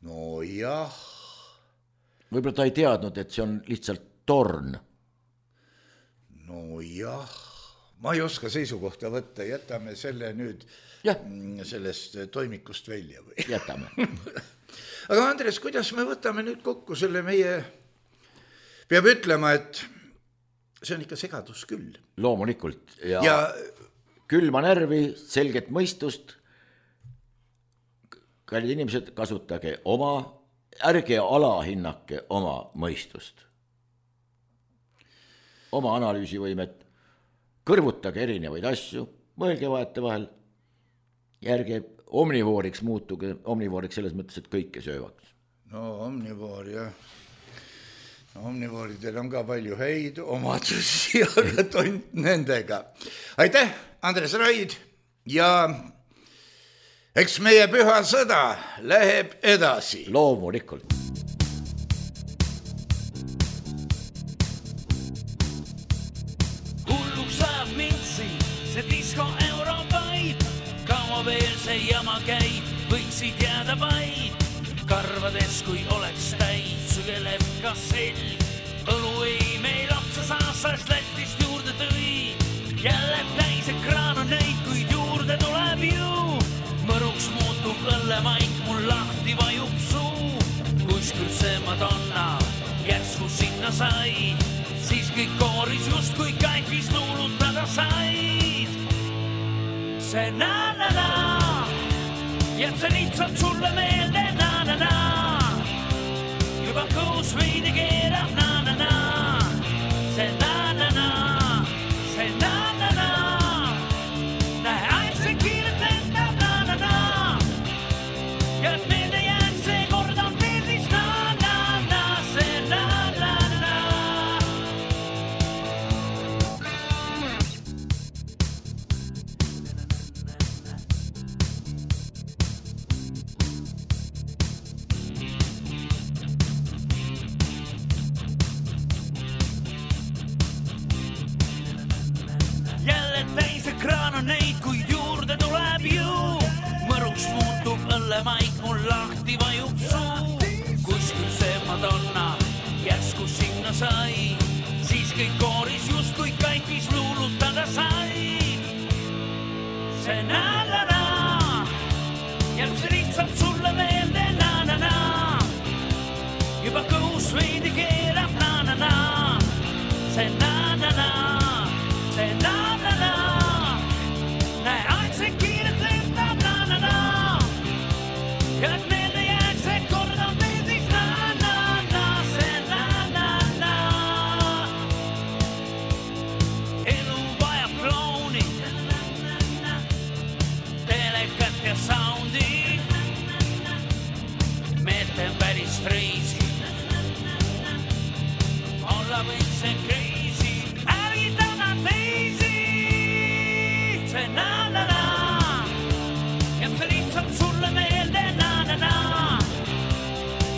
No jah. Võib-olla ta ei teadnud, et see on lihtsalt torn. No jah. Ma ei oska seisukohta võtta, jätame selle nüüd sellest toimikust välja. Jätame. Aga Andres, kuidas me võtame nüüd kokku selle meie, peab ütlema, et see on ikka segadus küll. Loomulikult. Ja külma närvi, selget mõistust. Kallid inimesed, kasutage ärge alahinnake oma mõistust. Oma analüüsivõimet, kõrvutage erinevaid asju, mõelge vaete vahel, ärge omnivooriks muutuge, omnivooriks selles mõttes, et kõike söövaks. No omnivoor, jah. Omnivooridel on ka palju häid omadusi, aga tont nendega. Aitäh, Andres Raid ja eks meie püha sõda läheb edasi. Loomulikult. Hulluks ajab mind siin see disko eurovaib, kaua veel see jama käib, võiksid jääda vaid. Karvades, kui oleks täid, sügeleb ka selg. Õlu ei meil otsa saa, sest Lätist juurde tõi. Jälle täis ekraan on neid, kuid juurde tuleb ju. Mõruks muutub õllemaik, mul lahti vajub suu. Kuskil see Madonna järsku sinna sai, siis kõik kooris just kui kaifis luulutada said. See na-na-na jääb see lihtsalt sulle meelde, na-na-na. Juba kuus veidi keerab, na-na-na. See na-na-na, see na-na-na. Näe aeg see kiiret lendab, na-na-na. Ja et meelde jääks see kord on meeldis, na-na-na. See na-na-na. Jälle täis ekraan on neid, kuid juurde tuleb ju. Mõruks muutub õllemaik, mul lahti vajub suu. Kuskil see Madonna järsku sinna sai, siis kõik kooris just kui kaifis luulutada said. See na-na-na jääb see lihtsalt sulle meelde, na-na-na. Juba kõhus veidi keerab, na-na-na. See na-na-na, see na-na-na. Näe aeg see kiiret lendab, na-na-na. Ja et meelde jääks see kord on meeldis, na-na-na. See na-na-na. Elu vajab klooni, telekat ja soundi. Meelte on päris reisi, olla võid see crazy. Ärgitana teisi. See na-na-na jääb see lihtsalt sulle meelde, na-na-na.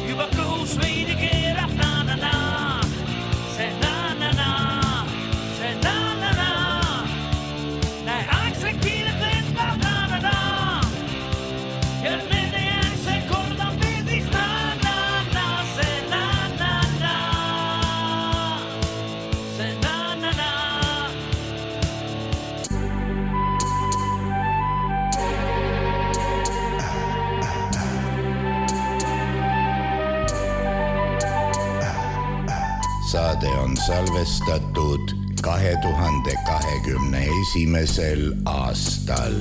Juba kõhus veidi keerab, na-na-na. See na-na-na, see na-na-na. Näe aeg see kiiret lendab, na-na-na. Ja et meelde jääks see kord on meeldis, na-na-na. See na-na-na, see na-na-na. Saade on salvestatud 2021. aastal.